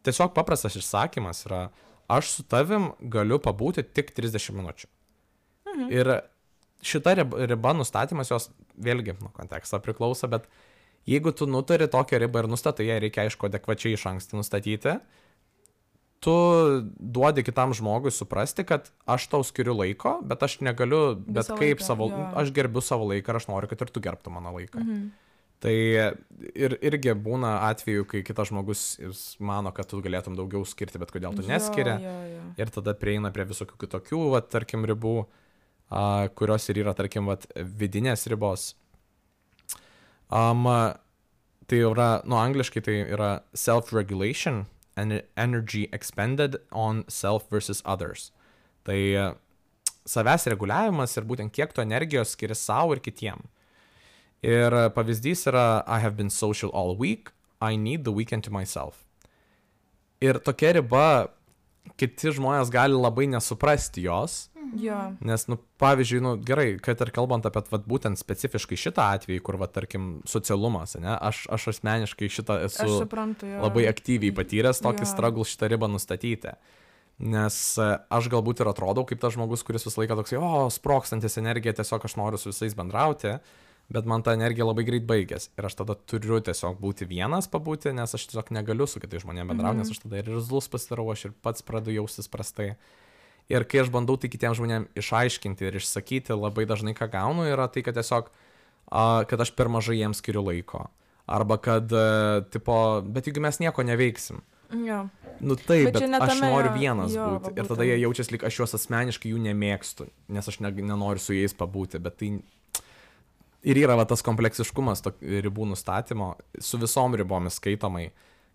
tiesiog paprastas išsakymas yra, aš su tavim galiu pabūti tik trisdešimt minučių. Mhm. Ir šita riba, riba nustatymas jos vėlgi nuo konteksto priklauso, bet jeigu tu nutari tokią ribą ir nustatai, ją reikia aišku adekvačiai iš anksto nustatyti, tu duodi kitam žmogui suprasti, kad aš tau skiriu laiko, bet aš negaliu, bet Visą kaip laiką, savo, jo. aš gerbiu savo laiką ir aš noriu, kad ir tu gerbtų mano laiką. Mhm. Tai ir, irgi būna atveju, kai kitas žmogus jis mano, kad tu galėtum daugiau skirti, bet kodėl tu neskiri. Jo, jo, jo. Ir tada prieina prie visokių kitokių, va, tarkim, ribų, a, kurios ir yra, tarkim, va, vidinės ribos. Um, tai yra, nu, angliškai tai yra self-regulation and energy expended on self versus others. Tai savęs reguliavimas ir būtent kiek tu energijos skiri savo ir kitiem. Ir pavyzdys yra I have been social all week, I need the weekend to myself. Ir tokia riba, kiti žmonės gali labai nesuprasti jos, Jo. nes, nu, pavyzdžiui, nu, gerai, kad ir kalbant apie vat, būtent specifiškai šitą atvejį, kur, va, tarkim, socialumas, ne, aš, aš asmeniškai šitą esu Aš suprantu, jo. labai aktyviai patyręs tokį Jo. struggle šitą ribą nustatyti. Nes e, aš galbūt ir atrodau kaip tas žmogus, kuris visą laiką toksai, o, sprokstantis energija, tiesiog aš noriu su visais bendrauti, bet man ta energija labai greit baigės. Ir aš tada turiu tiesiog būti vienas pabūti, nes aš tiesiog negaliu su kitais žmonėmis bendrauti, Mhm. nes aš tada ir irzlus pasidarau, aš ir pats pradedu jaustis prastai. Ir kai aš bandau tai kitiems žmonėms išaiškinti ir išsakyti, labai dažnai ką gaunu, yra tai, kad tiesiog, a, kad aš per mažai jiems skiriu laiko. Arba kad, a, tipo, bet jeigu mes nieko neveiksim. Jo. Nu taip, Bet bet, čia ne bet aš tame noriu yra- vienas jo, būti. va Ir tada būtent. jie jaučiasi, lyg aš juos asmeniškai jų nemėgstu, nes aš ne, nenoriu su jais pabūti. Bet tai ir yra va, tas kompleksiškumas to ribų nustatymo, su visom ribomis skaitomai,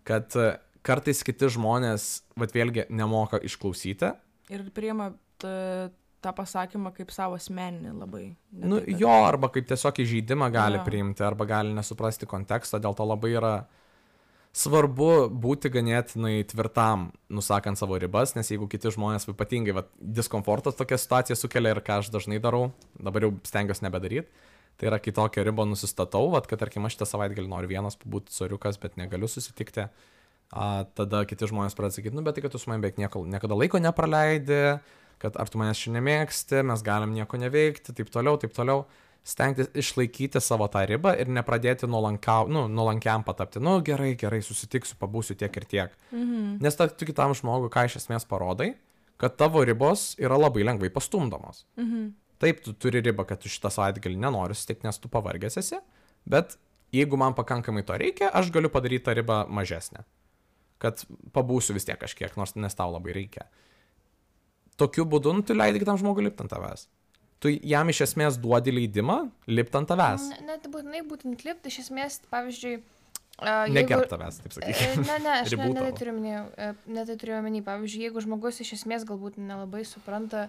kad e, kartais kiti žmonės, vat vėlgi, nemoka išklausyti. Ir priima t- tą pasakymą kaip savo asmeninį labai. Ne Nu, tai, kad- jo, arba kaip tiesiog įžeidimą gali Jo. priimti, arba gali nesuprasti kontekstą, dėl to labai yra svarbu būti ganėtinai tvirtam, nusakant savo ribas, nes jeigu kiti žmonės ypatingai va, diskomfortas tokia situacija sukelia ir ką aš dažnai darau, dabar jau stengiuosi nebedaryti, tai yra kitokią ribą nusistatau, vat, kad tarkim aš šitą savaitgalį noriu vienas pabūti soriukas, bet negaliu susitikti, a, tada kiti žmonės pradeda sakyti, nu bet tai, kad tu su manim beveik nieko, niekada laiko nepraleidi, kad ar tu manęs šiandien nemėgsti, mes galim nieko neveikti, taip toliau, taip toliau. Stengtis išlaikyti savo tą ribą ir nepradėti nuolankiau, nu, nuolankiam patapti. Nu, gerai, gerai, susitiksiu, pabūsiu tiek ir tiek. Mhm. Nes ta, tu kitam žmogui, ką iš esmės parodai, kad tavo ribos yra labai lengvai pastumdomos. Mhm. Taip, tu turi ribą, kad tu šitą savaitgalį nenori susitikti, nes tu pavargęs esi, bet jeigu man pakankamai to reikia, aš galiu padaryti tą ribą mažesnę. Kad pabūsiu vis tiek kažkiek, nors nes tau labai reikia. Tokiu būdu, nu, tu leidi kitam žmogui lipti ant tavęs. Tu jam iš esmės duodi leidimą lipti ant tavęs. Ne- Net būtinai būtent lipti, iš esmės, pavyzdžiui, a, jeigu... Negerb tavęs, taip E, sakykime. Ne, ne, aš ne, Ribų ne tai tavo. turiu minėjau, ne tai turiu omeny. Pavyzdžiui, jeigu žmogus iš esmės galbūt nelabai supranta,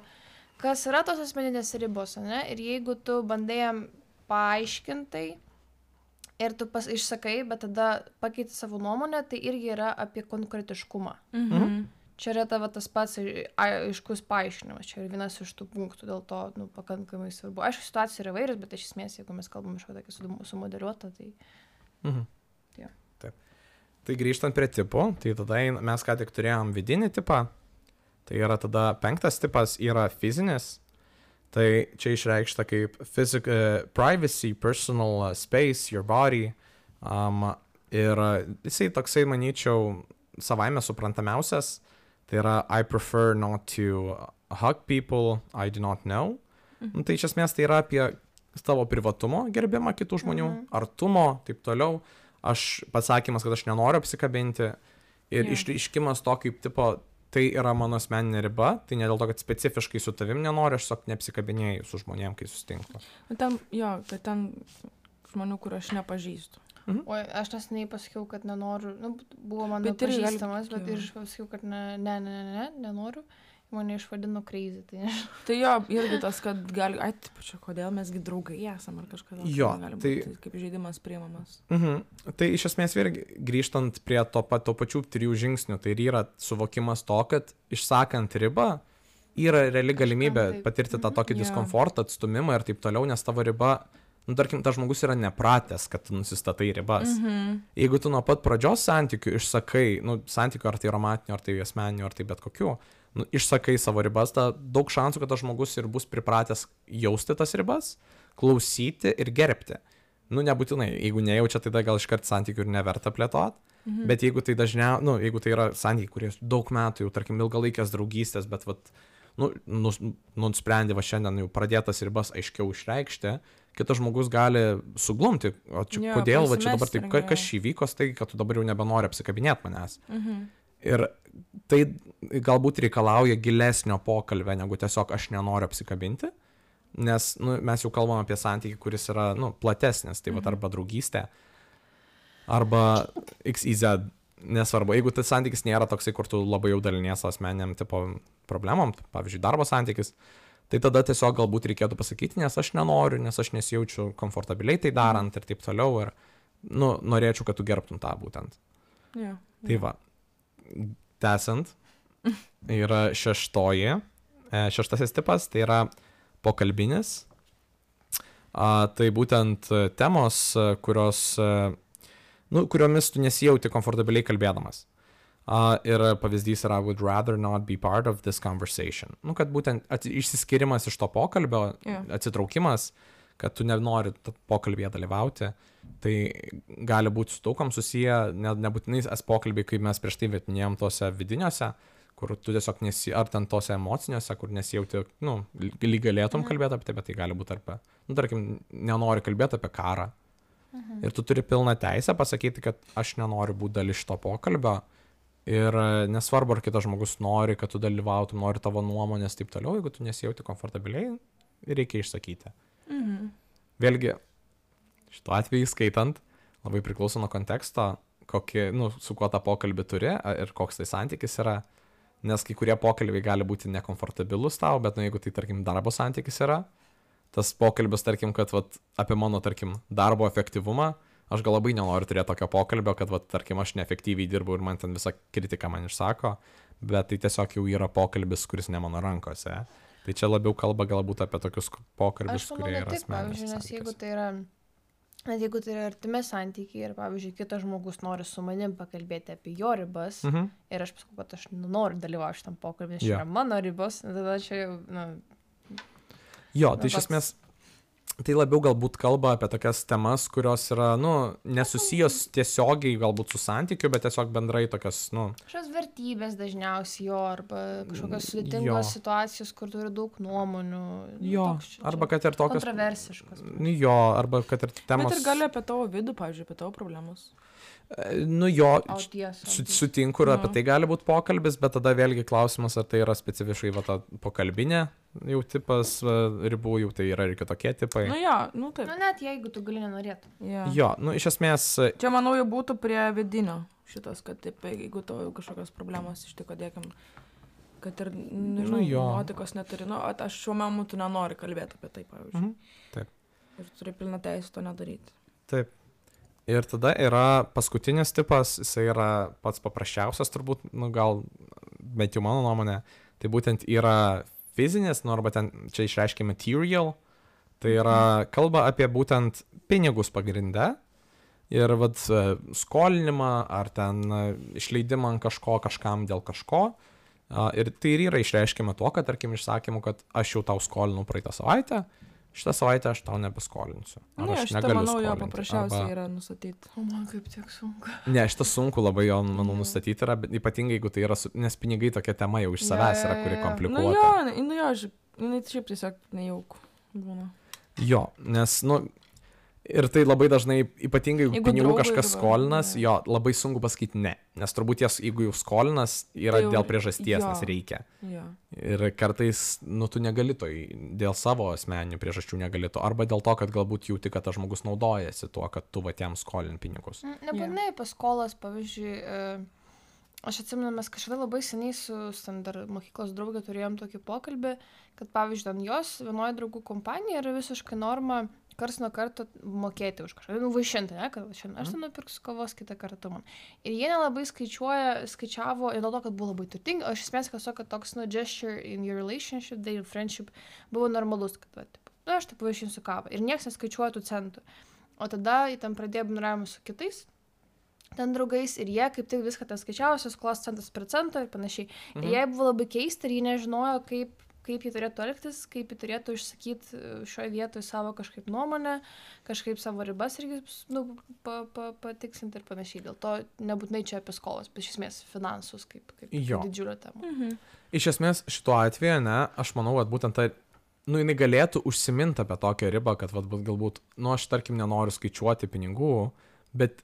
kas yra tos asmeninės ribos, ne? Ir jeigu tu bandai jam paaiškintai ir tu pas, išsakai, bet tada pakeiti savo nuomonę, tai irgi yra apie konkretiškumą. Mhm. Čia yra tavo tas pats ai- aiškus paaiškinimas, čia yra vienas iš tų punktų, dėl to nu, pakankamai svarbu. Aišku, situacija yra vairius, bet iš esmės, jeigu mes kalbam iš tokį sumodeliuotą, tai... Mhm. Jo. Taip. Tai grįžtant prie tipų, tai tada ein- mes ką tik turėjom vidinį tipą, tai yra tada penktas tipas yra fizinis, tai čia išreikšta kaip physic, uh, privacy, personal uh, space, your body, um, ir uh, jisai toksai, manyčiau, savaime suprantamiausias, tai yra I prefer not to hug people I do not know. Mhm. Nu, tai iš esmės tai yra apie tavo privatumo gerbimą kitų žmonių, Mhm. artumo, taip toliau. Aš pasakymas, kad aš nenoriu apsikabinti ir Jo. išreiškimas to kaip tipo, tai yra mano asmeninė riba, tai ne dėl to, kad specifiškai su tavim nenoriu, aš tiesiog neapsikabinėjau su žmonėm, kai susitinku. Nu, ten, jo, tai ten žmonių, kur aš nepažįstu. Oi, aš neseniai pasakiau, kad nenoriu, nu, buvo mano Bet irgi gali pažįstamas, būt, bet jo. ir aš pasakiau, kad ne, ne, ne, ne, ne, nenoriu. Mane išvadino crazy, tai nežinau. Tai jo, irgi tas, kad gali, ai, taip, čia kodėl mesgi draugai esam ar kažką. Jo, gali tai- būti kaip žaidimas priimamas. Mhm. Tai iš esmės vėlgi grįžtant prie to, pa, to pačių trijų žingsnių, tai ir yra suvokimas to, kad išsakant ribą yra reali galimybė taip. patirti tą tokį Jo. diskomfortą, atstumimą ir taip toliau, nes tavo riba, nu tarkim, tas žmogus yra nepratęs, kad tu nusistatai ribas. Mhm. Jeigu tu nuo pat pradžios santykių išsakai, nu santykių ar tai romantinių, ar tai asmeninių, ar tai bet kokių, nu, išsakai savo ribas, ta daug šansų, kad tas žmogus ir bus pripratęs jausti tas ribas, klausyti ir gerbti. Nu, nebūtinai, jeigu nejaučia, tai gal iškart santykių ir neverta plėtot, mhm. bet jeigu tai dažniau, nu, jeigu tai yra santykiai, kurie daug metų, jau tarkim, ilgalaikės draugystės, bet vat, nu, nus, nusprendė va šiandien jau pradėtas ribas aiškiau išreikšti, kitas žmogus gali suglumti, o čia Jo, kodėl, va čia dabar taip, pasimesti, ka- jo. kas čia įvyko, tai kad tu dabar jau nebenori apsikabinėti manęs. Mhm. Ir tai galbūt reikalauja gilesnio pokalbio, negu tiesiog aš nenoriu apsikabinti, nes nu, mes jau kalbam apie santykį, kuris yra nu, platesnis, tai va arba draugystė, arba X Y Z, nesvarbu, jeigu tas santykis nėra toksai, kur tu labai jau dalinies asmeniniam tipo problemom, pavyzdžiui, darbo santykis, tai tada tiesiog galbūt reikėtų pasakyti, nes aš nenoriu, nes aš nesijaučiu komfortabiliai tai darant ir taip toliau, ir nu, norėčiau, kad tu gerbtum tą būtent. Jo. Tai va, tęsiant, yra šeštoji, e, šeštasis tipas, tai yra pokalbinis. A, tai būtent e, temos, e, kurios, e, nu, kuriomis tu nesijauti komfortabiliai kalbėdamas. A, ir pavyzdys yra would rather not be part of this conversation. Nu, kad būtent ats- išsiskirimas iš to pokalbio, Jo. atsitraukimas, kad tu nenori t- pokalbėje dalyvauti, tai gali būti su daugam susiję, ne, nebūtinai es pokalbiai, kaip mes prieš tai minėjom tose vidiniuose, kur tu tiesiog nesi, ar ten tose emociniuose, kur nesijauti, nu, lyg galėtum kalbėti apie tai, bet tai gali būti apie, nu, tarkim, nenori kalbėti apie karą. Mhm. Ir tu turi pilną teisę pasakyti, kad aš nenoriu būti dalis šito pokalbio. Ir e, nesvarbu, ar kitas žmogus nori, kad tu dalyvautum, nori tavo nuomonės, taip toliau, jeigu tu nesijauti komfortabiliai, reikia išsakyti. Mhm. Vėlgi, šituo atveju skaitant, labai priklauso nuo konteksto, kokį, nu, su kuo tą pokalbį turi a- ir koks tai santykis yra, nes kai kurie pokalbiai gali būti nekomfortabilus tau, bet nu, jeigu tai, tarkim, darbo santykis yra, tas pokalbis, tarkim, kad vat, apie mano, tarkim, darbo efektyvumą, aš gal labai nenoriu turėti tokio pokalbio, kad, vat, tarkim, aš neefektyviai dirbu ir man ten visą kritiką man išsako, bet tai tiesiog jau yra pokalbis, kuris ne mano rankose. Tai čia labiau kalba galbūt apie tokius pokalbius, Aš manau, kurie ne yra tik, pavyzdžiui, asmeniniai. nes jeigu tai yra, net jeigu tai yra artimi santykiai ir, pavyzdžiui, kitas žmogus nori su manim pakalbėti apie jo ribas Mhm. ir aš pasakau, kad aš noriu dalyvauti šitam pokalbį, nes Jo. čia yra mano ribos, tada čia jau, na, Jo, Nu, tai iš toks- esmės, tai labiau galbūt kalba apie tokias temas, kurios yra, nu, nesusijęs tiesiogiai galbūt su santykiu, bet tiesiog bendrai tokias, nu, kažkokios vertybės dažniausiai jo, arba kažkokios Jo. sudėtingos situacijos, kur turi daug nuomonių. nu, jo, toks čia- arba kad ir tokios, kontroversiškos. nu, jo, arba kad ir temos, Bet ir gali apie tavo vidų, pavyzdžiui, apie tavo problemus. e, nu, jo, O tiesa. su, sutinku ir apie Nu. tai gali būti pokalbis, bet tada vėlgi klausimas, ar tai yra specifiškai va ta pokalbinė jau tipas va, ribų, jau tai yra ir kitokie tipai. Nu jo, nu taip. Nu, net jeigu tu gali nenorėtum. Jo. Jo, nu, iš esmės, Čia, manau, jau būtų prie vidinio šitas, kad taip, jeigu tau jau kažkokios problemos ištiko, dėkim, kad ir, nežinau, Nu jo. nuotikos neturi, nu, at aš šiuo metu nenoriu kalbėti apie tai, pavyzdžiui. Mhm, taip. Ir turi pilną teisę to nedaryti. Taip. Ir tada yra paskutinis tipas, jisai yra pats paprasčiausias turbūt, nu gal, bent jau mano nuomonė, tai būtent yra fizinis, nu arba ten čia išreiškia material, tai yra kalba apie būtent pinigus pagrindę ir vad skolinimą ar ten e, išleidimą ant kažko, kažkam dėl kažko. A, Ir tai ir yra išreiškiama to, kad tarkim išsakymu, kad aš jau tau skolinau praeitą savaitę, šitą savaitę aš tau nebeskolinsiu. Ar Ne, aš šitą, negaliu manau, jo skolinti, paprasčiausiai arba- yra nustatyti. O man kaip tiek sunku. Ne, šitą sunku labai jo, manau, Jo. nustatyti yra, bet ypatingai jeigu tai yra, su- nes pinigai tokia tema jau iš savęs yra, kuri Jo, jo, jo. Nu komplikuota. jo, nu jo, ži- jinai šiaip tiesiog nejauku būna. Jo, nes, nu, ir tai labai dažnai, ypatingai jeigu Jeigu pinigų draugui kažkas arba- skolinas, ne. jo, labai sunku pasakyti ne. Nes turbūt jas, jeigu jau skolinas, yra Tai jau- dėl priežasties, jo. nes reikia. Jo. Ir kartais, nu, tu negali to, į- dėl savo asmeninių priežasčių negali to. Arba dėl to, kad galbūt jauti, kad tas žmogus naudojasi tuo, kad tu va tiem skolin pinigus. Mm, Nebūtinai apie skolas, pavyzdžiui, e, aš atsimenu, mes kažkada labai seniai su su ten dar mokyklos draugė turėjom tokį pokalbį, kad, pavyzdžiui, ten jos vienoje draugų kompanijoje yra visiškai norma kars nuo karto mokėti už kažką, nu, vaišinti, ne, kad šiandien aš ten nupirksiu kavos, kitą kartą man. Ir jie nelabai skaičiuoja, skaičiavo, ir dėl to, kad buvo labai turtingi, o iš esmės, kad kad toks, nu, gesture in your relationship, their friendship, buvo normalus, kad, va, taip, na, aš taip vaišinsiu kavą. Ir niekas neskaičiuoja tų centų. O tada jie ten pradėjo bendravimą su kitais. ten draugais ir jie kaip tik viską ten skaičiavosi, skolos centas per centą ir panašiai. Mhm. Ir jie buvo labai keista ir jie nežinojo, kaip, kaip jie turėtų elgtis, kaip jie turėtų išsakyti šioje vietoje savo kažkaip nuomonę, kažkaip savo ribas irgi nu, pa, pa, patiksinti ir panašiai. Dėl to nebūtinai čia apie skolas, bet iš esmės finansus kaip, kaip didžiulio temą. Mhm. Iš esmės šituo atveju, ne, aš manau, kad būtent tai, nu, jinai galėtų užsiminti apie tokią ribą, kad vat, galbūt, nu, aš tarkim nenoriu skaičiuoti pinigų, bet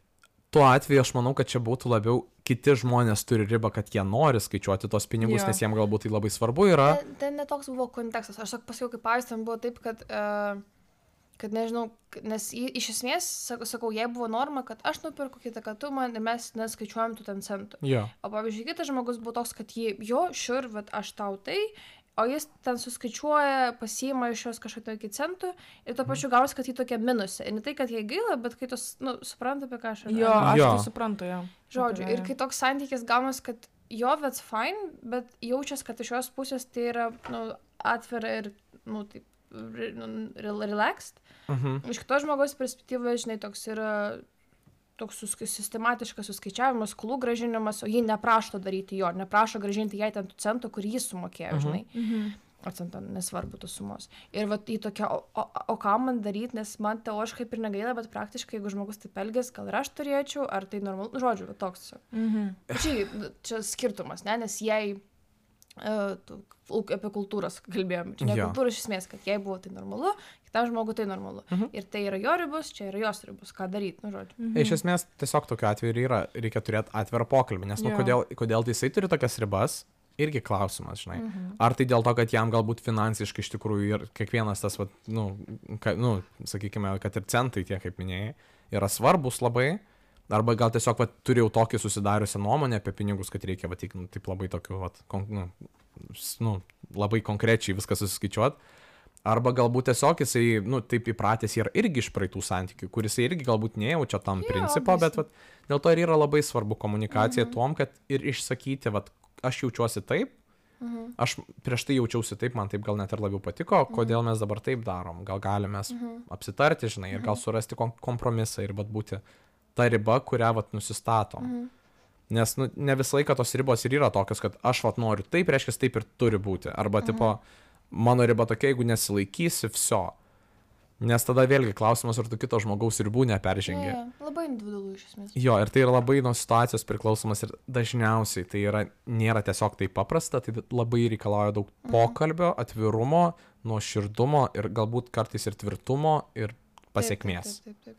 tuo atveju aš manau, kad čia būtų labiau kiti žmonės turi ribą, kad jie nori skaičiuoti tos pinigus, Jo. nes jiems galbūt tai labai svarbu yra. Ten, ten netoks buvo kontekstas. Aš sak, pasakiau, kaip pavyzdys, ten buvo taip, kad, uh, kad nežinau, nes į, iš esmės, sak, sakau, jei buvo norma, kad aš nupirku kitą, kad tu man ir mes neskaičiuojam tų ten centų. Jo. O pavyzdžiui, kitas žmogus buvo toks, kad jie, jo, šiur, bet aš tau tai, o jis ten suskaičiuoja, pasiima iš jos kažkokio iki centų ir tuo pačiu gausi, kad jį tokia minusė. Ir ne tai, kad jai gaila, bet kai tu, nu, suprantu, apie ką aš Jo, aš Jo. tai suprantu, jo. Žodžiu, Apie- ir kai toks santykis gaunas, kad jo, that's fine, bet jaučias, kad iš jos pusės tai yra, nu, atvira ir, nu, taip, re- nu, rel- relaxed. Mhm. Iš kitos žmogaus perspektyvos, žinai, toks yra toks susk- sistematiškas suskaičiavimas, skolų gražinimas, o jį neprašo daryti jo, neprašo gražinti jai ten tų centų, kur jis sumokėjo, žinai. Mhm. O centą nesvarbu tos sumos. Ir vat į tokią, o, o, o ką man daryti, nes man teoriškai kaip ir negaila, bet praktiškai, jeigu žmogus taip elgės, gal ir aš turėčiau, ar tai normalu, nu, žodžiu, va, toks tiesiog. Mhm. Čia, čia skirtumas, ne, nes jei uh, tu, apie kultūros kalbėjom, čia ne Jo. kultūros iš esmės, kad jei buvo tai normalu, kitam žmogui tai normalu. Mhm. Ir tai yra jo ribos, čia yra jos ribos, ką daryti, nu, žodžiu. Mhm. Iš esmės, tiesiog tokiu atveju ir yra, reikia turėti atvirą pokalbį, nes, nu, Jo. kodėl, kodėl tai jisai turi tokias ribas, irgi klausimas, žinai. Mhm. Ar tai dėl to, kad jam galbūt finansiškai iš tikrųjų ir kiekvienas tas, vat, nu, ka, nu, sakykime, kad ir centai tie, kaip minėjai, yra svarbus labai, arba gal tiesiog vat, turi jau tokį susidariusią nuomonę apie pinigus, kad reikia, vat, nu, taip labai tokiu, vat, kon, nu, s- nu, labai konkrečiai viską susiskaičiuoti. Arba galbūt tiesiog jisai, nu, taip įpratęs yra irgi iš praeitų santykių, kuris irgi galbūt nejaučia tam Jo, principo, bet obviously. vat, dėl to ir yra labai svarbu komunikacija mhm. tom, kad ir išsakyti, vat, aš jaučiuosi taip, Mhm. aš prieš tai jaučiausi taip, man taip gal net ir labiau patiko, kodėl mes dabar taip darom, gal galime Mhm. apsitarti, žinai, ir gal surasti kom kompromisą ir vat būti ta riba, kurią vat nusistatom. Mhm. Nes nu, ne visą laiką tos ribos ir yra tokios, kad aš vat noriu taip, reiškia taip ir turi būti. Arba Mhm. tipo, mano riba tokia, jeigu nesilaikysi, viso. Nes tada vėlgi klausimas, ar tu kito žmogaus ribų neperžengi. Jo, jo, labai individualu iš esmės. Jo, ir tai yra labai nuo situacijos priklausomas ir dažniausiai tai yra, nėra tiesiog taip paprasta, tai labai reikalauja daug pokalbio, atvirumo, nuoširdumo ir galbūt kartais ir tvirtumo ir pasiekmės. Taip, taip, taip, taip.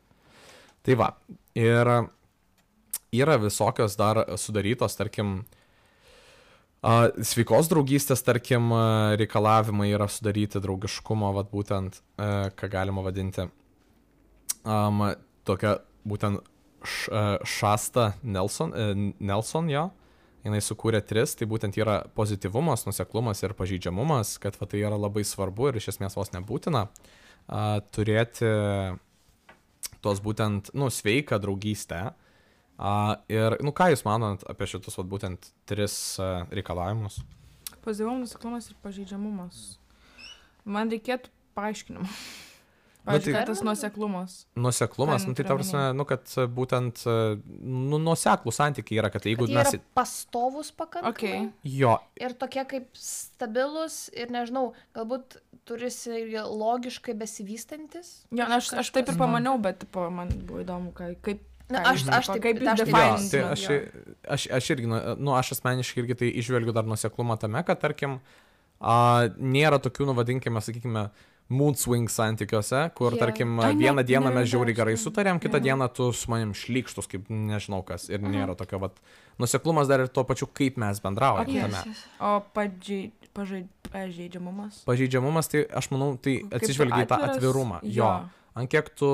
Tai va, ir yra visokios dar sudarytos, tarkim, a, sveikos draugystės, tarkim, a, reikalavimai yra sudaryti draugiškumo, vat būtent, a, ką galima vadinti, um, tokia būtent š, a, Šasta Nelson, a, Nelson jo, jinai sukūrė tris, tai būtent yra pozityvumas, nuseklumas ir pažeidžiamumas, kad va, tai yra labai svarbu ir iš esmės vos nebūtina a, turėti tos būtent, nu, sveiką draugystę. A, ir, nu, ką jūs manot apie šitus, vat, būtent tris a, reikalavimus? Pozityvumas, nuoseklumas ir pažeidžiamumas. Man reikėtų paaiškinimo. Na, Pavyzdžiui, tai- kad tas nuoseklumas. Nuseklumas, Ką nu, tai ta prasme, nu, kad a, būtent, a, nu, nuoseklų santykiai yra, kad jeigu Kad jie mes... yra pastovus pakankamai. Okay. Jo, Ir tokie kaip stabilus ir, nežinau, galbūt turisi ir logiškai besivystantis. Jo, na, aš, aš taip ir Kažkas- pamaniau, bet tipo, man buvo įdomu, ką, kaip... Na, ką aš- jūs- aš taip- kaip jūs aš taip- Jo, defainintumėt. tai Define aš, jo. aš, aš irgi, nu, nu, aš asmeniškai irgi tai išvelgiu dar nuseklumą tame, kad, tarkim, a, nėra tokių, nu, vadinkime, sakykime, mood swing santykiuose, kur, Jo. tarkim, Ai, ne, vieną tai dieną nėra mes žiauriai gerai dažnai. sutarėm, kitą Jo. dieną tu su manim šlykštus, kaip nežinau kas, ir nėra tokio, vat, nuseklumas dar ir tuo pačiu, kaip mes bendraujame Okay. tame. O pažeid, pažeid, pažeidžiamumas? Pažeidžiamumas, tai aš manau, tai Kaip atsižvelgia į tą atviras- atvirumą. Jo. jo. Ant kiek tu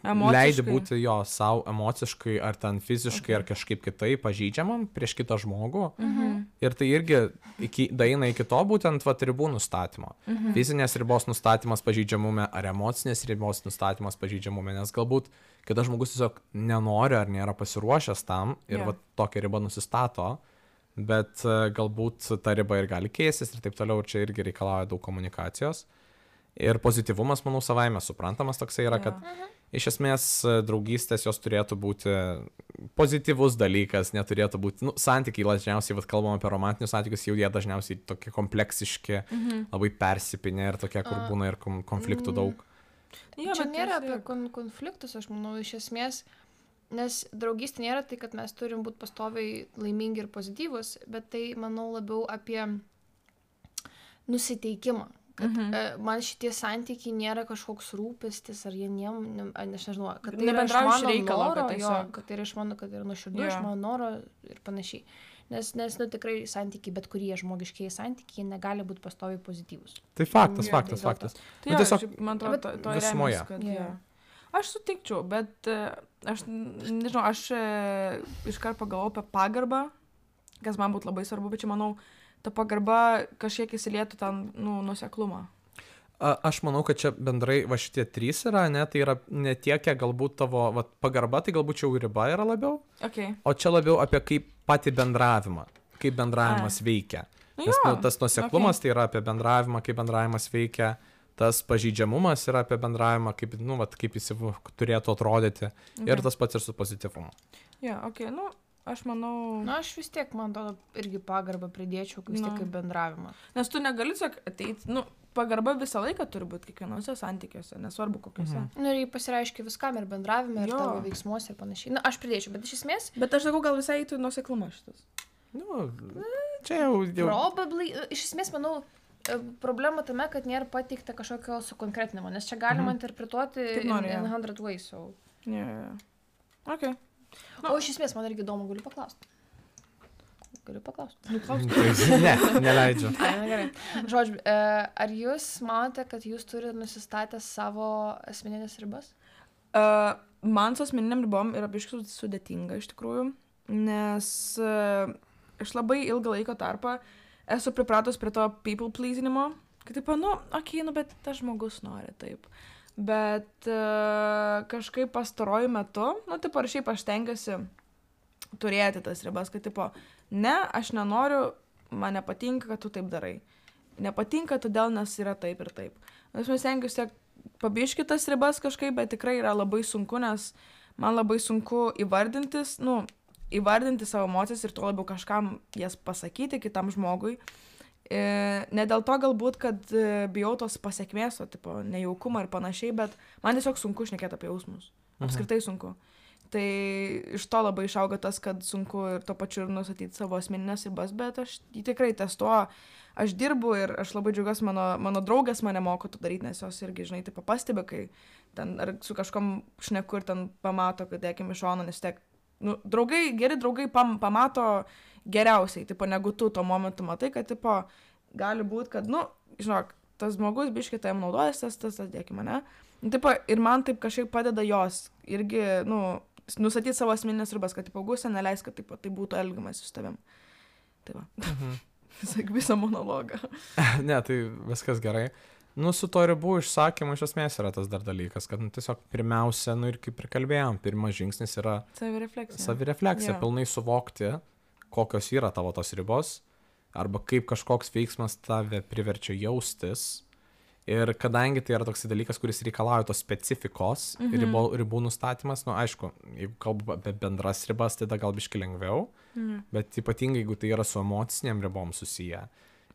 Emociškai. leidi būti jo savo emociškai ar ten fiziškai Okay. ar kažkaip kitaip pažeidžiamam prieš kitą žmogų. Mhm. Ir tai irgi iki, daeina iki to būtent vat, ribų nustatymo. Mhm. Fizinės ribos nustatymas pažeidžiamume ar emocinės ribos nustatymas pažeidžiamume, nes galbūt kitas žmogus tiesiog nenori ar nėra pasiruošęs tam ir Jo. vat, tokią ribą nusistato, bet e, galbūt ta riba ir gali keistis ir taip toliau, ir čia irgi reikalauja daug komunikacijos. Ir pozityvumas, manau, savaime suprantamas toksai yra, Jo. kad iš esmės draugystės jos turėtų būti pozityvus dalykas, neturėtų būti, nu, santykiai dažniausiai, vat kalbam apie romantinius santykius, jau jie dažniausiai tokie kompleksiški, Mhm. labai persipinę ir tokie, kur A. būna ir kom- konfliktų Mm. daug. Jo, Čia bet nėra vis apie tiek. kon konfliktus, aš manau, iš esmės, nes draugystė nėra tai, kad mes turim būti pastoviai laimingi ir pozityvus, bet tai, manau, labiau apie nusiteikimą. Kad Mhm. e, man šitie santykiai nėra kažkoks rūpestis, ar jie niem, ne, a, aš nežinau, kad tai yra iš Nebendrauji iš mano reikalo, kad noro, jo, tiesiog- kad tai yra iš mano, kad tai yra nuoširdų, Jo. iš mano noro ir panašiai. Nes, nes, nu, tikrai santykiai, bet kurie žmogiškiai santykiai, jie negali būti pastoviai pozityvus. Tai faktas, Jo, faktas, tai dėl to. faktas. Tai Nu, jo, tiesiog šiaip, man atrodo, bet to, to visumoje. remiasi, kad, Jo. jo. Aš sutikčiau, bet e, aš n- nežinau, aš e, iškart pagalvojau apie pagarbą, kas man būtų labai svarbu, bet čia manau, ta pagarba kažkiek įsilietų ten, nu, nuseklumą. A, aš manau, kad čia bendrai va šitie trys yra, ne, tai yra ne tiek, kiek galbūt tavo va, pagarba, tai galbūt čia jau riba yra labiau, Okay. o čia labiau apie kaip patį bendravimą, kaip bendravimas veikia. Nu, Nes jo, nu, tas nuoseklumas tai yra apie bendravimą, kaip bendravimas veikia, tas pažeidžiamumas yra apie bendravimą, kaip, nu, vat, kaip jis jau turėtų atrodyti. Okay. Ir tas pats ir su pozityvumu. Jo, okay, nu, aš manau, Na, aš vis tiek, man atrodo, irgi pagarbą pridėčiau, vis tiek Nu. kaip bendravimą. nes tu negali tiesiog ateiti, nu, pagarba visą laiką turi būti kiekvienose santykiuose, nesvarbu kokiuose. Mhm. Nu, ir jį pasireiškia viskam ir bendravime, ir Jo. tavo veiksmuose ir panašiai. Na, aš pridėčiau, bet iš esmės, Bet aš sakau, gal visai eitų nuoseklumas šitas. Nu, čia jau... jau... probably, iš esmės, manau, e, problema tame, kad nėra pateikta kažkokio sukonkretinimo, nes čia galima Mhm. interpretuoti Kaip in, nori, jo. in hundred ways. So. Jo, jo, jo. Okay. O iš esmės, man irgi įdomu, galiu paklausti. Galiu paklausti. Nu, klausk. Ne, neleidžiu. Ai, na gerai. Žodžiu, e, ar jūs manote, kad jūs turite nusistatę savo asmeninės ribas? Uh, man su asmeniniam ribom yra biškai sudėtinga iš tikrųjų, nes uh, aš labai ilgą laiko tarpą esu pripratus prie to people pleasinimo, kad taip, nu, okei, okay, nu, bet tas žmogus nori taip. Bet uh, kažkaip pastaruoju metu, nu, taip, ar šiaip aš tengiuosi turėti tas ribas, kad, tipo, ne, aš nenoriu, man nepatinka, kad tu taip darai. Nepatinka, todėl nes yra taip ir taip. Aš mes stengiuosi tiek pabiški tas ribas kažkaip, bet tikrai yra labai sunku, nes man labai sunku įvardintis, nu, įvardinti savo emocijas ir tuo labiau kažkam jas pasakyti kitam žmogui. E, ne dėl to galbūt, kad e, bijau tos pasiekmės, o tipo nejaukumą ir panašiai, bet man tiesiog sunku šnekėti apie jausmus. Apskritai sunku. Tai iš to labai išauga tas, kad sunku ir to pačiu ir nusatyti savo asmeninės ribas, bet aš jį tikrai testuoju. Aš dirbu ir aš labai džiaugiuosi, mano, mano draugės mane moko to daryti, nes jos irgi, žinai, taip pastebi, kai ten ar su kažkom šneku ir ten pamato, kad dėkim iš šono, nes tiek, nu, draugai, geri draugai pam, pamato geriausiai, tipo, negu tu tuo momentu matai, kad, tipo, gali būti, kad, nu, žinok, tas žmogus biškai tam naudojasi, tas, tas, tas, dėkim, ne? Nu, tipo, ir man taip kažkaip padeda jos irgi, nu, nusatyti savo asmeninės ribas, kad, tipo, Augustė neleis, kad, tipo, tai būtų elgiamas su tavim. Tai va. Mhm. Sak visą monologą. Ne, tai viskas gerai. Nu, su to ribų išsakymu iš esmės yra tas dar dalykas, kad nu, tiesiog pirmiausia, nu ir kaip ir kalbėjom, pirmas žingsnis yra Savirefleksija. savirefleksija, Jo. pilnai suvokti, kokios yra tavo tos ribos, arba kaip kažkoks veiksmas tave priverčia jaustis. Ir kadangi tai yra toks dalykas, kuris reikalauja tos specifikos, Mhm. ribų, ribų nustatymas, nu aišku, jeigu kalbu apie bendras ribas, tai tada gal biški lengviau, Mhm. bet ypatingai jeigu tai yra su emociniam ribom susiję,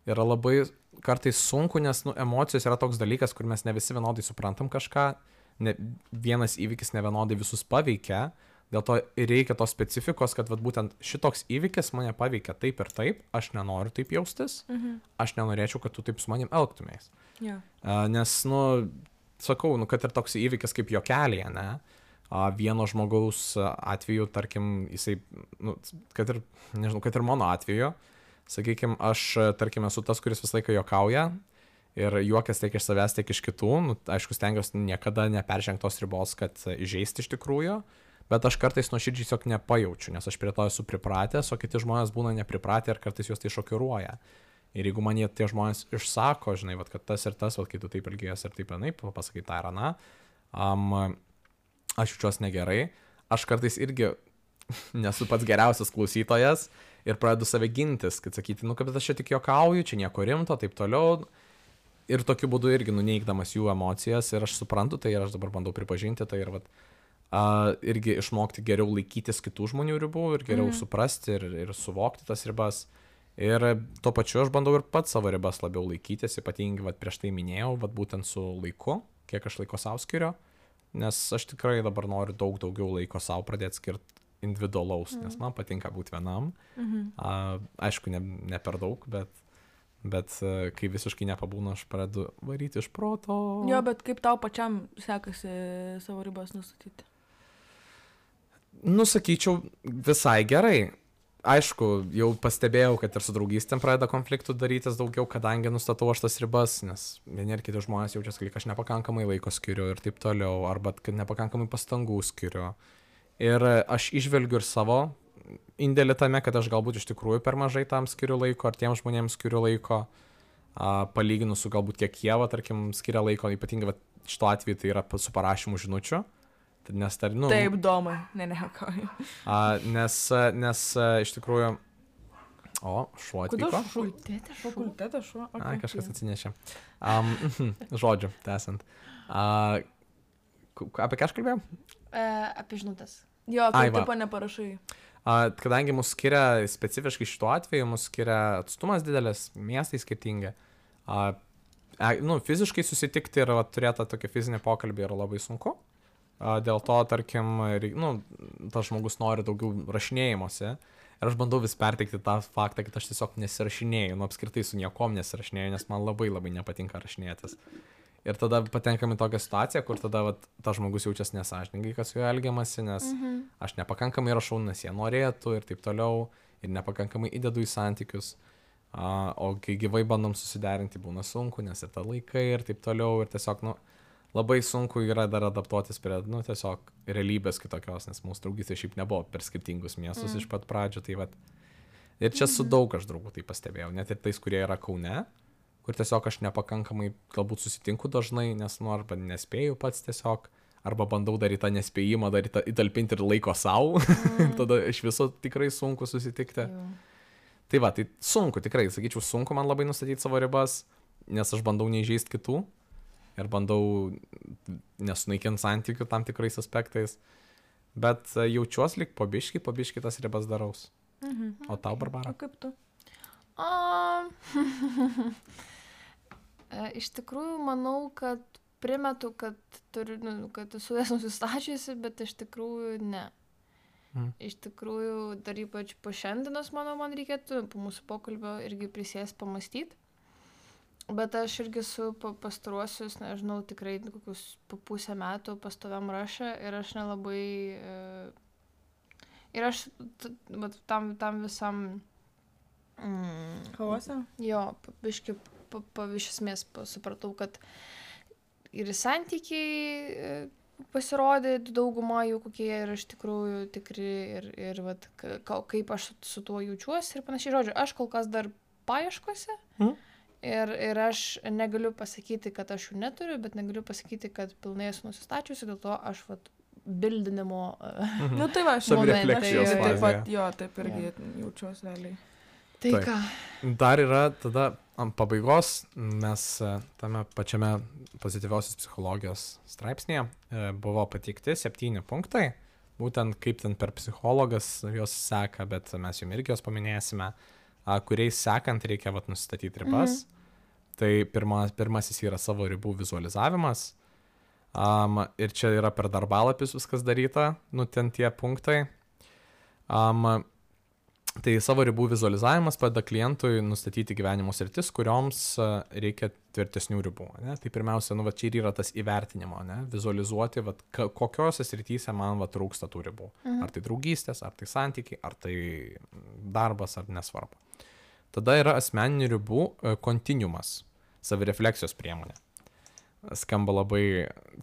yra labai kartais sunku, nes nu, emocijos yra toks dalykas, kur mes ne visi vienodai suprantam kažką, ne, vienas įvykis ne vienodai visus paveikia, dėl to ir reikia tos specifikos, kad vat, būtent šitoks įvykis mane paveikia taip ir taip, aš nenoriu taip jaustis, Mhm. aš nenorėčiau, kad tu taip su manim elgtumės. Jo. A, nes, nu, sakau, nu, kad ir toks įvykis kaip juokelėje, ne? A, vieno žmogaus atveju, tarkim, jisai, nu, kad ir, nežinau, kad ir mano atveju, sakykime, aš, tarkim, esu tas, kuris visą laiką juokauja ir juokas tiek iš savęs, tiek iš kitų, nu, aišku, stengiuosi niekada neperžengti tos ribos, kad įžeisti iš tikrųjų, bet aš kartais nuoširdžiai tiesiog nepajaučiu, nes aš prie to esu pripratęs, o kiti žmonės būna nepripratę ir kartais juos tai šokiruoja. Ir jeigu man jie tie žmonės išsako, žinai, vat, kad tas ir tas, vat, kai tu taip elgies ir taip vienaip, pasakai tą ir aną, um, aš jaučiuosi negerai, aš kartais irgi nesu pats geriausias klausytojas ir pradedu save gintis, kad sakyti, nu, kad aš čia tik juokauju, čia nieko rimto, taip toliau. ir tokiu būdu irgi nuneigdamas jų emocijas ir aš suprantu tai ir aš dabar bandau pripažinti tai ir vat, uh, irgi išmokti geriau laikytis kitų žmonių ribų ir geriau mm. suprasti ir, ir suvokti tas ribas. Ir tuo pačiu aš bandau ir pats savo ribas labiau laikytis, ypatingai vat, prieš tai minėjau, vat, būtent su laiku, kiek aš laiko savo skiriu, nes aš tikrai dabar noriu daug daugiau laiko savo pradėti skirti individualaus, mm. nes man patinka būti vienam. Mm-hmm. Uh, aišku, ne, ne per daug, bet Bet kai visiškai nepabūna, aš pradedu varyti iš proto. Jo, bet kaip tau pačiam sekasi savo ribas nustatyti? Nusakyčiau, visai gerai. Aišku, jau pastebėjau, kad ir su draugystėm pradeda konfliktų darytis daugiau, kadangi nustatau aš tas ribas, nes vieni ir kiti žmonės jaučiasi, kad aš nepakankamai laiko skiriu ir taip toliau, arba kad nepakankamai pastangų skiriu. Ir aš išvelgiu ir savo indėlį tame, kad aš galbūt iš tikrųjų per mažai tam skiriu laiko, ar tiems žmonėms skiriu laiko, a, palyginu su galbūt kiek jie, va, tarkim, skiria laiko, ypatingai va, šito atveju tai yra su parašymu žinučių. Nes, tar, nu, Taip, domai, ne, ne, ką. Nes, nes iš tikrųjų... O, šuo atvyko. Kodėl fakultete šuo? Fakultete šuo? Okay. A, kažkas atsinešė. Um, žodžiu, tęsant. Uh, apie ką aš kalbėjau? E, apie žinutės. Jo, kaip tipo neparašai. Uh, kadangi mus skiria, specifiškai šituo atveju, mus skiria atstumas didelis, miestai skirtingi. Uh, nu, fiziškai susitikti ir va, turėti tokį fizinį pokalbį yra labai sunku. Uh, dėl to, tarkim, nu, tas žmogus nori daugiau rašinėjimuose. Ir aš bandau vis perteikti tą faktą, kad aš tiesiog nesirašinėju, nu apskritai su niekom nesirašinėju, nes man labai labai nepatinka rašinėtis. Ir tada patenkam į tokią situaciją, kur tada vat, tas žmogus jaučiasi nesąžiningai, kas su juo elgiamasi, nes mm-hmm. aš nepakankamai rašau, nes jie norėtų ir taip toliau, ir nepakankamai įdedu į santykius. Uh, o kai gyvai bandom susiderinti, būna sunku, nes ir ta laikai ir taip toliau, ir tiesiog, nu, labai sunku yra dar adaptuotis prie, nu, tiesiog realybės kitokios, nes mūsų draugystė šiaip nebuvo per skirtingus miestus mm. iš pat pradžių, tai vat. Ir čia su daug aš draugų tai pastebėjau, net ir tais, kurie yra Kaune, kur tiesiog aš nepakankamai galbūt susitinku dažnai, nes nu arba nespėju pats tiesiog, arba bandau dar į tą nespėjimą, dar į tą, įtalpinti ir laiko savo, mm. tada iš viso tikrai sunku susitikti. Mm. Tai va, tai sunku, tikrai, sakyčiau, sunku man labai nustatyti savo ribas, nes aš bandau neįžeisti kitų ir bandau nesunaikinti santykių tam tikrais aspektais, bet jaučiuosi lyg pabiškai, pabiškai tas ribas daraus. Mm-hmm. O tau, Barbara? O kaip tu? Um, iš tikrųjų, manau, kad primetu, kad, turiu, nu, kad esu jas nusistačiusi, bet iš tikrųjų ne. Mm. Iš tikrųjų, dar ypač po šiandienos, manau, man reikėtų po mūsų pokalbio irgi prisės pamastyti. Bet aš irgi su pastaruosius, nežinau, tikrai kokius po pusę metų pastoviam rašą ir aš nelabai... Ir aš t, tam, tam visam... Mm, Chaosą? Jo, biškai, pa, pa, iš esmės supratau, kad ir santykiai pasirodė dauguma jų, kokie yra iš tikrųjų tikri ir, ir vat, ka, kaip aš su tuo jaučiuosi ir panašiai. Žodžiu, aš kol kas dar paieškose mm. ir, ir aš negaliu pasakyti, kad aš jų neturiu, bet negaliu pasakyti, kad pilnai esu nusistačiusi, dėl to aš vat, bildinimo mhm. Nu tai va, aš savirefleksijos taip pat, jo, taip irgi ja. Jaučiuosi realiai. Tai Taip. ką? Dar yra tada ant pabaigos, mes tame pačiame pozityviosios psichologijos straipsnėje buvo pateikti septyni punktai, būtent kaip ten per psichologas jos seka, bet mes jums irgi jos paminėsime, kuriais sekant reikia vat, nustatyti ribas. Mhm. Tai pirma, pirmasis yra savo ribų vizualizavimas. Um, ir čia yra per darbalapius viskas daryta, nu ten tie punktai. Um, Tai savo ribų vizualizavimas padeda klientui nustatyti gyvenimo sritis, kurioms reikia tvirtesnių ribų. Ne? Tai pirmiausia, nu, va, čia ir yra tas įvertinimo, ne? Vizualizuoti, va, kokiose srityse man va, trūksta tų ribų. Mhm. Ar tai draugystės, ar tai santykiai, ar tai darbas, ar nesvarbu. Tada yra asmeninių ribų kontinuumas, savirefleksijos priemonė. Skamba labai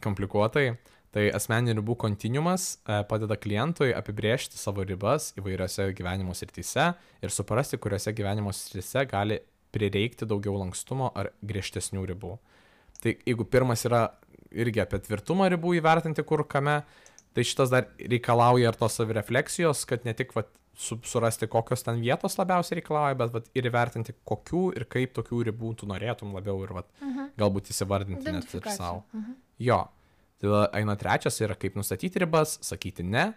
komplikuotai. Tai asmeninių ribų kontinuumas padeda klientui apibrėžti savo ribas įvairiose gyvenimo srityse ir suprasti, kuriuose gyvenimo srityse gali prireikti daugiau lankstumo ar griežtesnių ribų. Tai jeigu pirmas yra irgi apie tvirtumą ribų įvertinti kur kame, Tai šitas dar reikalauja ir tos savirefleksijos, kad ne tik vat, su, surasti, kokios ten vietos labiausiai reikalauja, bet vat, ir įvertinti, kokių ir kaip tokių ribų tu norėtum labiau ir vat, uh-huh. galbūt įsivardinti net ir savo. Uh-huh. Jo. Tai eina trečias yra, kaip nustatyti ribas, sakyti ne.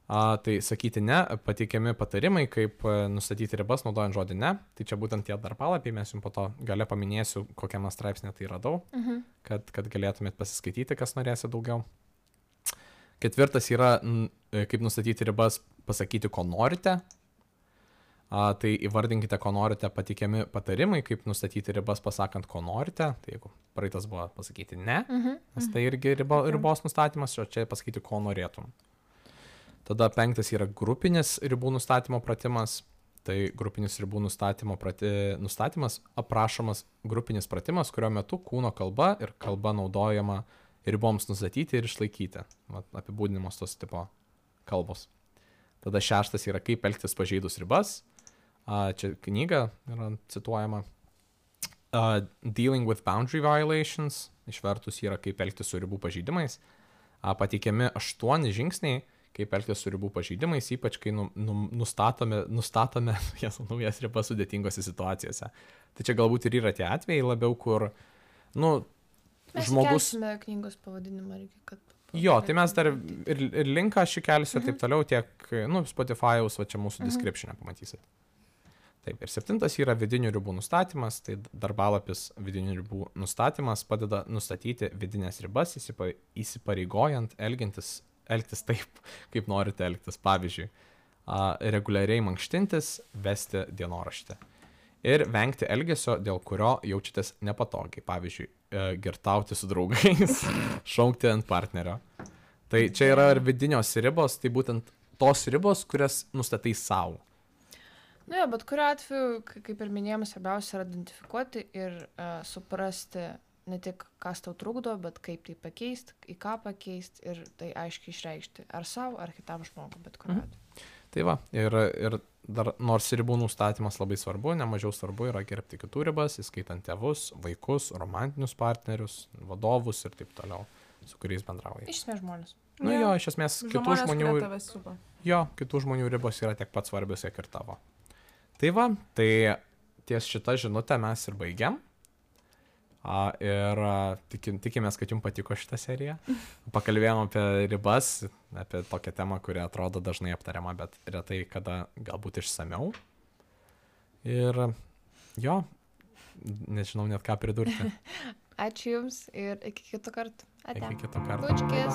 A, tai sakyti ne, pateikiami patarimai, kaip nustatyti ribas, naudojant žodį ne. Tai čia būtent tie darbalapiai, mes jums po to gale paminėsiu, kokiame straipsnė tai radau, uh-huh. kad, kad galėtumėt pasiskaityti, kas norėsi daugiau. Ketvirtas yra, kaip nustatyti ribas, pasakyti, ko norite. A, tai įvardinkite, ko norite, pateikiami patarimai, kaip nustatyti ribas, pasakant, ko norite. Tai jeigu praeitas buvo pasakyti ne, uh-huh. nes tai irgi ribo, ribos nustatymas, o čia pasakyti, ko norėtum. Tada penktas yra grupinis ribų nustatymo pratimas. Tai grupinis ribų nustatymo prati, nustatymas aprašomas grupinis pratimas, kurio metu kūno kalba ir kalba naudojama riboms nustatyti ir išlaikyti. Apibūdinimos tos tipo kalbos. Tada šeštas yra, kaip elgtis pažeidus ribas. A, čia knyga yra cituojama. A, Dealing with boundary violations. Išvertus yra, kaip elgtis su ribų pažeidimais. A, pateikiami aštuoni žingsniai, kaip elgtis su ribų pažeidimais, ypač kai nu, nu, nustatome, nustatome jas, naujas ribas sudėtingose situacijose. Tai čia galbūt ir yra tie atvejai labiau, kur, nu, mes žmogus... Mes knygos pavadinimą irgi, kad... Jo, tai mes dar ir, ir linką aš įkelsiu ir uh-huh. taip toliau, tiek, nu, Spotify'aus, va čia mūsų uh-huh. description'e pamatysit. Taip, ir septintas yra vidinių ribų nustatymas, tai darbalapis vidinių ribų nustatymas padeda nustatyti vidinės ribas, įsipa, įsipareigojant elgintis, elgtis taip, kaip norite elgtis. Pavyzdžiui, a, reguliariai mankštintis, vesti dienoraštį. Ir vengti elgesio, dėl kurio jaučiatės nepatogiai. Pavyzdžiui, girtauti su draugais, šaukti ant partnerio. Tai čia yra ir vidinios ribos, tai būtent tos ribos, kurias nustatai savo. Na, jo, bet kuriuo atveju, kaip ir minėjom, svarbiausia yra identifikuoti ir uh, suprasti ne tik, kas tau trukdo, bet kaip tai pakeisti, į ką pakeisti ir tai aiškiai išreikšti. Ar savo, ar kitam žmogui, bet kuriuo atveju. Mhm. Tai va, ir, ir dar nors ribų nustatymas labai svarbu, nemažiau svarbu yra gerbti kitų ribas, įskaitant tėvus, vaikus, romantinius partnerius, vadovus ir taip toliau, su kuriais bendrauja. Iš esmės žmonės. Nu jo, iš esmės kitų žmonių, žmonės, jo, kitų žmonių ribos yra tiek pat svarbios, kiek ir tavo. Tai va, tai ties šitą žinutę mes ir baigiam. A, ir tikim, tikimės, kad jums patiko šitą seriją. Pakalbėjom apie ribas, apie tokią temą, kuri atrodo dažnai aptariama, bet retai kada galbūt išsamiau. Ir jo, nežinau net ką pridurti. Ačiū Jums ir iki kito karto. Ate. Iki kito karto. Bučkis.